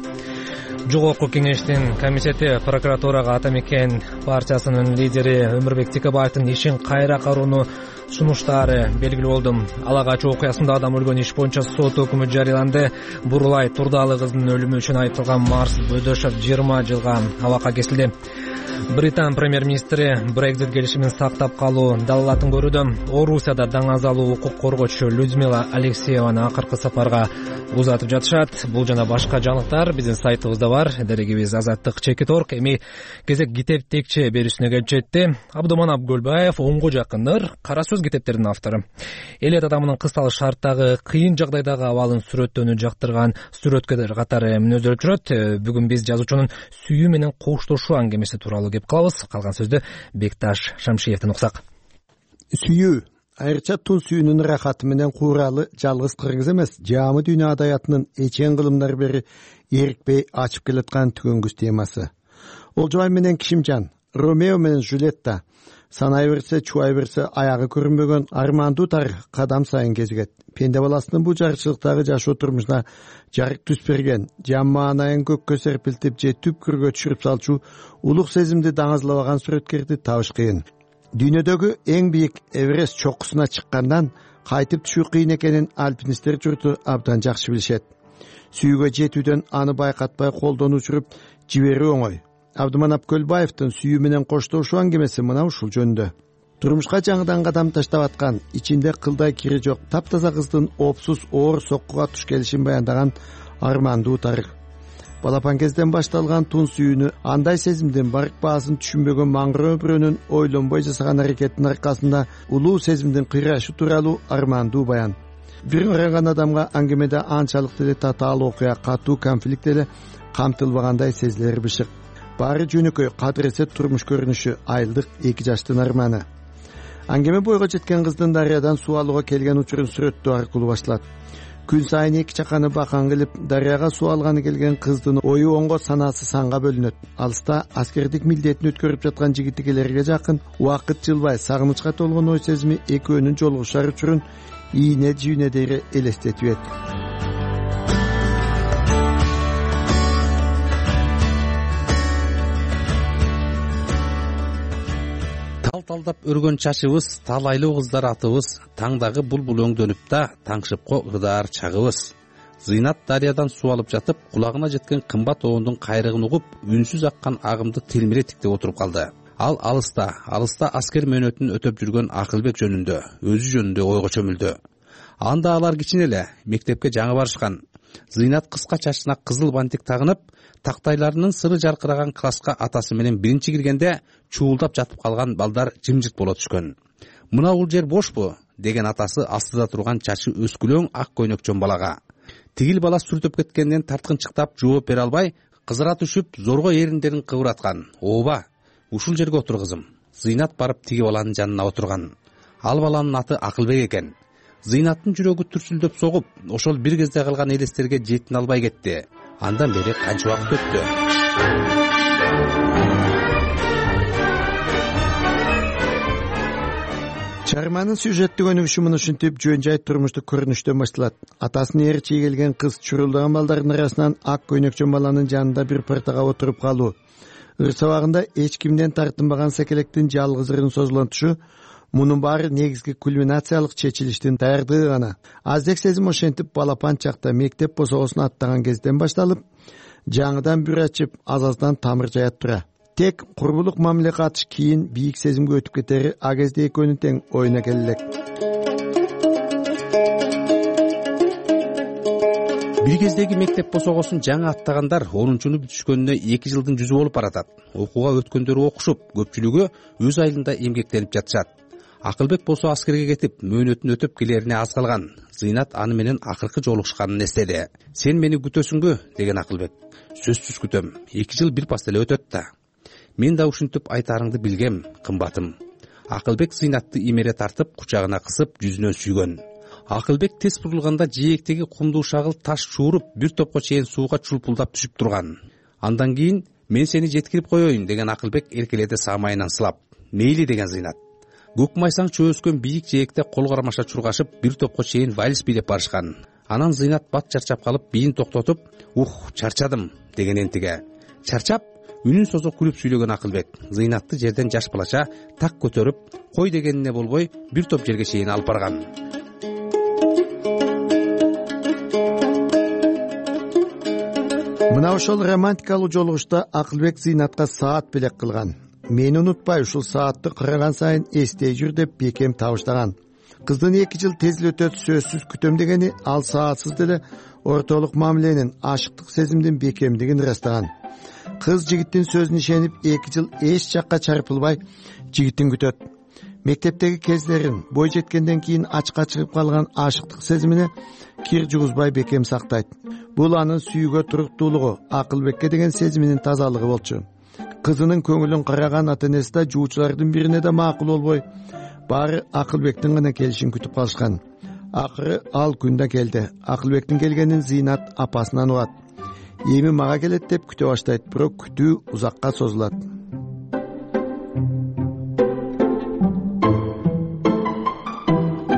Жогорку кеңештин комитети прокуратурага Ата Мекен партиясынын лидери Өмүрбек Текебаевдин ишин кайра кароону сунуштары белгилүү болду. Алагач окуясында адам өлгөн иш боюнча сот өкүмү жарыяланды. Бурулай Турдалы кыздын өлүмү үчүн айыпталган Марс Бөдөшов жыйырма жылга абакка кесилди. Британ премьер-министри Brexit келишимин сактап калуу далалатын көрүүдө. Орусияда даңазалуу укук коргоочу Людмила Алексееваны акыркы сапарга узатып жатышат. Бул жана башка жаңылыктар биздин сайтыбызда бар. Дерегибиз азаттык чекит орг. Эми кезек китеп текче берүүсүнө келип жетти. Абдуманап Гөлбаев онго жакындыр кара сөз китептеринин автору. Эл адамынын кысталуу шарттагы кыйын жагдайдагы абалын сүрөттөөнү жактырган сүрөткерлер катары мүнөздөп жүрөт. Бүгүн биз жазуучунун сүйүү менен коштошуу аңгемеси тууралуу кеп калабыз. Калган сөздү Бекташ Шамшиевден уксак. Сүйүү айрыкча тун сүйүүнүн рахаты менен кууралы жалгыз кыргыз эмес, жаамы дүйнө адаятынын эчен кылымдар бери эрикпей ачып келаткан түгөнгүс темасы. Олжобай менен Кишимжан, Ромео менен Жюлетта, санай берсе, чубай берсе аягы көрүнбөгөн армандуу тарых кадам сайын кезигет. Пенде баласынын бул жарчылыктагы жашоо турмушуна жарык түс берген, жан маанайын көккө серпилтип же түпкүргө түшүрүп салчу улук сезимди даңазлабаган сүрөткерди табыш кыйын. Дүйнөдөгү эң бийик Эверест чоккусуна чыккандан кайтып түшүү кыйын экенин альпинисттер журту абдан жакшы билишет. Сүйүүгө жетүүдөн аны байкатпай колдон учуруп жиберүү оңой. Абдуманап Көлбаевдин сүйүү менен коштошуу аңгемеси мына ушул жөнүндө. Турмушка жаңыдан кадам таштап аткан, ичинде кылдай кири жок таптаза кыздын опсуз оор соккуга туш келишин баяндаган армандуу тарых. Балапан кезден башталган тун сүйүүнү, андай сезимдин барк баасын түшүнбөгөн маңгыроо бирөөнүн ойлонбой жасаган аракетинин аркасында улуу сезимдин кыйрашы тууралуу армандуу баян. Бир ыраган адамга аңгемеде анчалык деле татаал окуя, катуу конфликт эле камтылбагандай сезилери бышык. Баары жөнөкөй кадыресе турмуш көрүнүшү, айылдык эки жаштын арманы. Аңгеме бойго жеткен кыздын дарыядан суу алууга келген учурун сүрөттөө аркылуу башталат. Күн сайын эки чаканы бакан кылып дарыяга суу алганы келген кыздын ою оңго, санаасы санга бөлүнөт. Алыста аскердик милдетин өткөрүп жаткан жигитикелерге жакын убакыт жылбай сагынычка толгон ой сезими экөөнүн жолугушар учурун ийне жүйүнө дейре элестетип эт. Тал-талдап өргөн чачыбыз, талайлуу кыздар атыбыз, таңдагы булбул өңдөнүп да, таңшыпко ырдаар чагыбыз. Зыйнат дарыядан суу алып жатып, кулагына жеткен кымбат оондун кайрыгын угуп, үнсүз аккан агымды телмире тиктеп отуруп калды. Ал алыста, алыста аскер мөөнөтүн өтөп жүргөн Акылбек жөнүндө, өзү жөнүндө ойго чөмүлдү. Анда алар кичине эле мектепке жаңы барышкан. Зыйнат кыска чачына кызыл бантик тагынып, тактайларынын сыры жаркыраган класска атасы менен биринчи киргенде чуулдап жатып калган балдар жымжырт боло түшкөн. Мына бул жер бошпу деген атасы астыда турган чачы өскүлөң ак көйнөкчөн балага. Тигил бала сүртөп кеткенден тарткынчыктап жооп бере албай, кызара түшүп зорго эриндерин кыбыраткан. Ооба, ушул жерге отур кызым. Зыйнат барып тиги баланын жанына отурган. Ал баланын аты Акылбек экен. Зыйнаттын жүрөгү түрсүлдөп согуп, ошол бир кезде калган элестерге жетин албай кетти. Андан бери канча убакыт өттү? Чарманын сюжеттик өнүгүшү муну ушинтип жөн жай турмуштук көрүнүштөн башталат. Атасынын ээрчи келген кыз чурулдаган балдардын арасынан ак көйнөкчөн баланын жанында бир партага отуруп калуу. Ыр сабагында эч кимден тартынбаган секелектин жалгыз ырын созулантушу, мунун баары негизги кульминациялык чечилиштин даярдыгы гана. Аздек сезим ошентип балапан чакта мектеп босогосун аттаган кезден башталып, жаңыдан бүр ачып, аз-аздан тамыр жаят тура. Тек курбулук мамиле катыш кийин бийик сезимге өтүп кетери а кезде экөөнүн тең оюна келе элек. Бир кездеги мектеп босогосун жаңы аттагандар онунчуну бүтүшкөнүнө эки жылдын жүзү болуп баратат. Окууга өткөндөрү окушуп, көпчүлүгү өз айылында эмгектенип жатышат. Акылбек болсо аскерге кетип, мөөнөтүн өтөп келерине аз калган. Зыйнат аны менен акыркы жолугушканын эстеди. Сен мени күтөсүңбү деген Акылбек. Сөзсүз күтөм. эки жыл бир пас эле өтөт да. Мен да ушинтип айтарыңды билгем, кымбатым. Акылбек Зыйнатты имере тартып, кучагына кысып, жүзүнөн сүйгөн. Акылбек тез бурулганда жээктеги кумдуу шагыл таш чууруп, бир топко чейин сууга чулпулдап түшүп турган. Андан кийин мен сени жеткирип коеюн деген Акылбек эркеледи самайынан сылап. Мейли деген Зыйнат. Көк майсаң чөөскөн бийик жээкте кол кармаша чургашып, бир топко чейин вальс бийлеп барышкан. Анан Зыйнат бат чарчап калып, бийин токтотуп, "Ух, чарчадым" деген энтиге. Чарчап, үнүн созо күлүп сүйлөгөн Акылбек Зыйнатты жерден жаш балача так көтөрүп, кой дегенине болбой, бир топ жерге чейин алып барган. Мына ошол романтикалуу жолугушта Акылбек Зыйнатка саат белек кылган. мени унутпай ушул саатты караган сайын эстей жүр деп бекем табыштаган. Кыздын эки жыл тез эле өтөт сөзсүз күтөм дегени ал саатсыз деле ортолук мамиленин, ашыктык сезимдин бекемдигин ырастаган. Кыз жигиттин сөзүнө ишенип эки жыл эч жакка чарпылбай жигитин күтөт. Мектептеги кездерин бой жеткенден кийин ачка чыгып калган ашыктык сезимине кир жугузбай бекем сактайт. Бул анын сүйүүгө туруктуулугу, Акылбекке деген сезиминин тазалыгы болчу. Кызынын көңүлүн караган ата-энеси да жуучулардын бирине да макул болбой, баары Акылбектин гана келишин күтүп калышкан. Акыры ал күн да келди. Акылбектин келгенин Зыйнат апасынан угат. Эми мага келет деп күтө баштайт, бирок күтүү узакка созулат.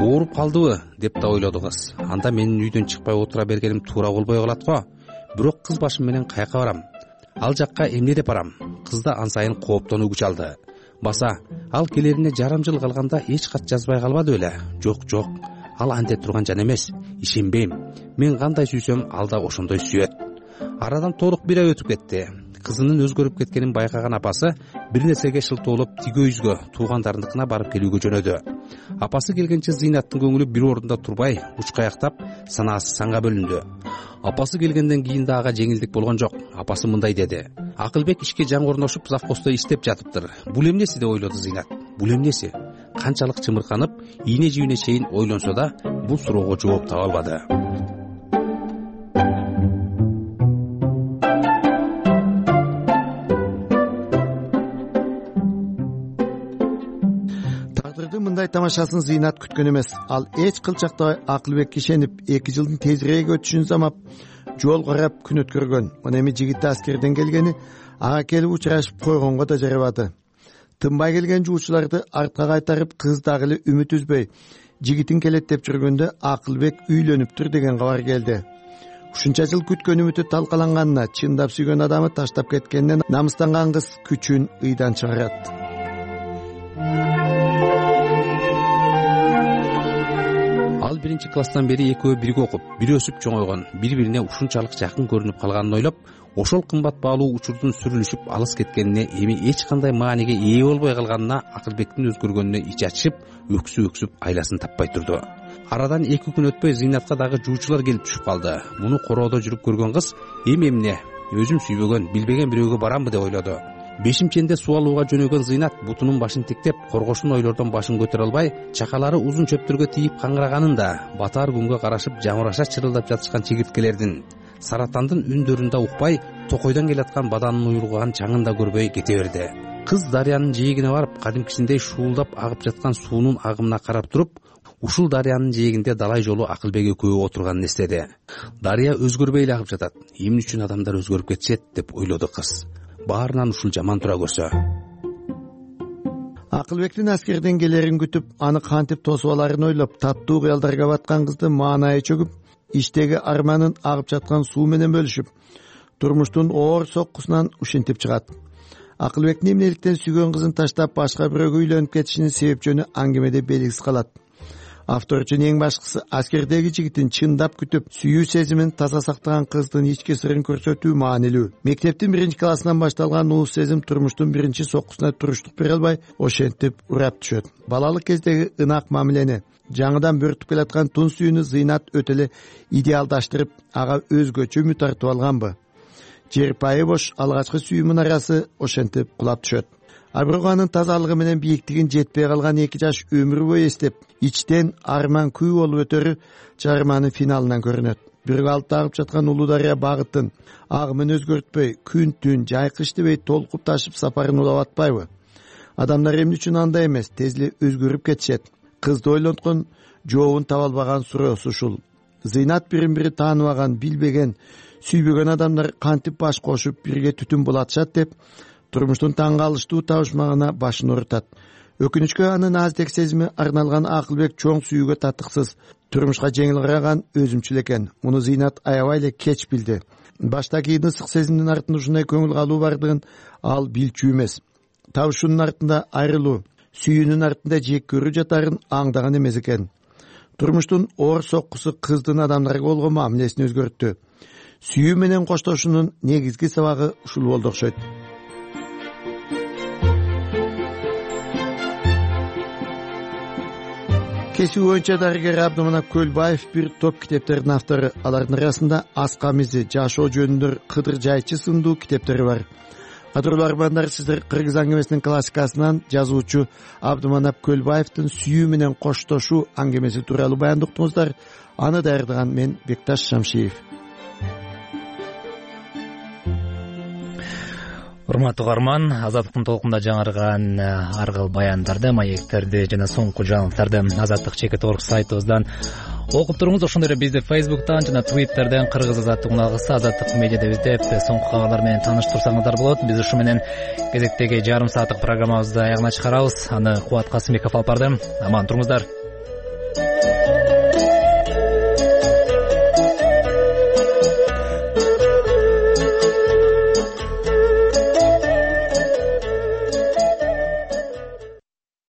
Ооруп калдыбы деп да ойлоду кыз. Анда менин үйдөн чыкпай отура бергеним туура болбой калат го. Бирок кыз башым менен каяка барам? Ал жакка эмне деп барам? Кыз да ан сайын кооптонуу күч алды. Баса, ал келерине жарым жыл калганда эч кат жазбай калбады беле? Жок, жок. Ал анте турган жан эмес. Ишенбейм. Мен кандай сүйсөм, ал да ошондой сүйөт. Арадан толук бир ай өтүп кетти. Кызынын өзгөрүп кеткенин байкаган апасы бир нерсеге шылтоолоп тиге үйгө, туугандарыныкына барып келүүгө жөнөдү. Апасы келгенче Зыйнаттын көңүлү бир орунда турбай, учкаяктап, санаасы санга бөлүндү. Апасы келгенден кийин да ага жеңилдик болгон жок. Апасы мындай деди: Акылбек ишке жаңы орношуп, завхоздо иштеп жатыптыр. Бул эмнеси деп ойлоду Зыйнат. Бул эмнеси? Канчалык чымырканып, ийне жибине чейин ойлонсо да, бул суроого жооп таба албады. Мындай тамашасын Зыйнат күткөн эмес. Ал эч кылчакта Акылбекке ишенип, эки жылдын тезирээк өтүшүн замап, жол карап күн өткөргөн. Мына эми жигит аскерден келгени ага келип учурашып койгонго да жарабады. Тынбай келген жуучуларды артка кайтарып, кыз дагы эле үмүт үзбөй жигитин келет деп жүргөндө Акылбек үйлөнүптүр деген кабар келди. Ушунча жыл күткөн үмүтү талкаланганына, чындап сүйгөн адамы таштап кеткенинен намыстанган кыз күчүн ыйдан чыгарат. Ал биринчи класстан бери экөө бирге окуп, бири өсүп чоңойгон, бири-бирине ушунчалык жакын көрүнүп калганын ойлоп, ошол кымбат баалуу учурдун сүрүлүшүп алыс кеткенине, эми эч кандай мааниге ээ болбой калганына Акылбектин өзгөргөнүнө ичи ачышып, өксүп-өксүп айласын таппай турду. Арадан эки күн өтпөй Зыйнатка дагы жуучулар келип түшүп калды. Муну короодо жүрүп көргөн кыз эми эмне, өзүм сүйбөгөн, билбеген бирөөгө барамбы деп ойлоду. Бешимченде суу алууга жөнөгөн Зыйнат бутунун башын тиктеп, коргошун ойлордон башын көтөрө албай, чакалары узун чөптөргө тийип каңыраганын да, батаар күнгө карашып жамыраша чырылдап жатышкан чегирткелердин, саратандын үндөрүн да укпай, токойдон келаткан баданын уйрулган чаңын да көрбөй кете берди. Кыз дарыянын жээгине барып, кадимкисиндей шуулдап агып жаткан суунун агымына карап туруп, ушул дарыянын жээгинде далай жолу Акылбек экөө отурганын эстеди. Дарыя өзгөрбөй эле агып жатат. Эмне үчүн адамдар өзгөрүп кетишет деп ойлоду кыз. Баарынан ушул жаман тура көрсө. Акылбектин аскерден келерин күтүп, аны кантип тосуп аларын ойлоп, таттуу кыялдарга баткан кызды маанайы чөгүп, иштеги арманын агып жаткан суу менен бөлүшүп, турмуштун оор соккусунан ушинтип чыгат. Акылбектин эмнеликтен сүйгөн кызын таштап башка бирөөгө үйлөнүп кетишинин себеп жөнү аңгемеде белгисиз калат. Автор үчүн эң башкысы аскердеги жигитин чындап күтүп, сүйүү сезимин таза сактаган кыздын ички сырын көрсөтүү маанилүү. Мектептин биринчи классынан башталган улуу сезим турмуштун биринчи соккусуна туруштук бере албай, ошентип урап түшөт. Балалык кездеги ынак мамилени, жаңыдан бөртүп келаткан тун сүйүүнү Зыйнат өтө эле идеалдаштырып, ага өзгөчө үмүт тартып алганбы? Жерпайы бош алгачкы сүйүү мунарасы ошентип кулап түшөт. А бирок анын тазалыгы менен бийиктигин жетпей калган эки жаш өмүр бою эстеп, ичтен арман күй болуп өтөрү чыгарманын финалынан көрүнөт. Бирок алып агып жаткан улуу дарыя багытын, агымын өзгөртпөй, күн түн жайкыш дебей толкуп ташып сапарын улап атпайбы? Адамдар эмне үчүн андай эмес, тез эле өзгөрүп кетишет? Кызды ойлонткон, жообун таба албаган суроосу ушул. Зыйнат бирин бири тааныбаган, билбеген, сүйбөгөн адамдар кантип баш кошуп бирге түтүн булатышат деп турмуштун таң калыштуу табышмагына башын орутат. Өкүнүчкө анын аздек сезими арналган Акылбек чоң сүйүүгө татыксыз, турмушка жеңил караган өзүмчүл экен. Муну Зыйнат аябай эле кеч билди. Башта кийин ысык сезимдин артында ушундай көңүл калуу бардыгын ал билчү эмес. Табышуунун артында айрылуу, сүйүүнүн артында жек көрүү жатарын аңдаган эмес экен. Турмуштун оор соккусу кыздын адамдарга болгон мамилесин өзгөрттү. Сүйүү менен коштошуунун негизги сабагы ушул болду окшойт. кесиби боюнча дарыгер Абдыманап Көлбаев бир топ китептердин автору. Алардын арасында Ас камизи, Жашоо жөнүндө Кыдыр жайчы сындуу китептери бар. Кадырлуу армандар, сиздер Кыргыз аңгемесинин классикасынан жазуучу Абдыманап Көлбаевдин сүйүү менен коштошуу аңгемеси тууралуу баяндап уктуңуздар. Аны даярдаган мен Бекташ Шамшиев. Урматтуу угарман, Азаттыктын толкунда жаңырган ар кыл баяндарды, маектерди жана соңку жаңылыктарды Азаттык чекит орг сайтыбыздан окуп туруңуз. Ошондой эле бизди Фейсбуктан жана Твиттерден Кыргыз Азаттык уналгысы Азаттык медиада издеп соңку кабарлар менен тааныштырсаңыздар болот. Биз ушу менен кезектеги жарым сааттык программабызды аягына чыгарабыз. Аны Кубат Касымбеков алып барды. Аман туруңуздар.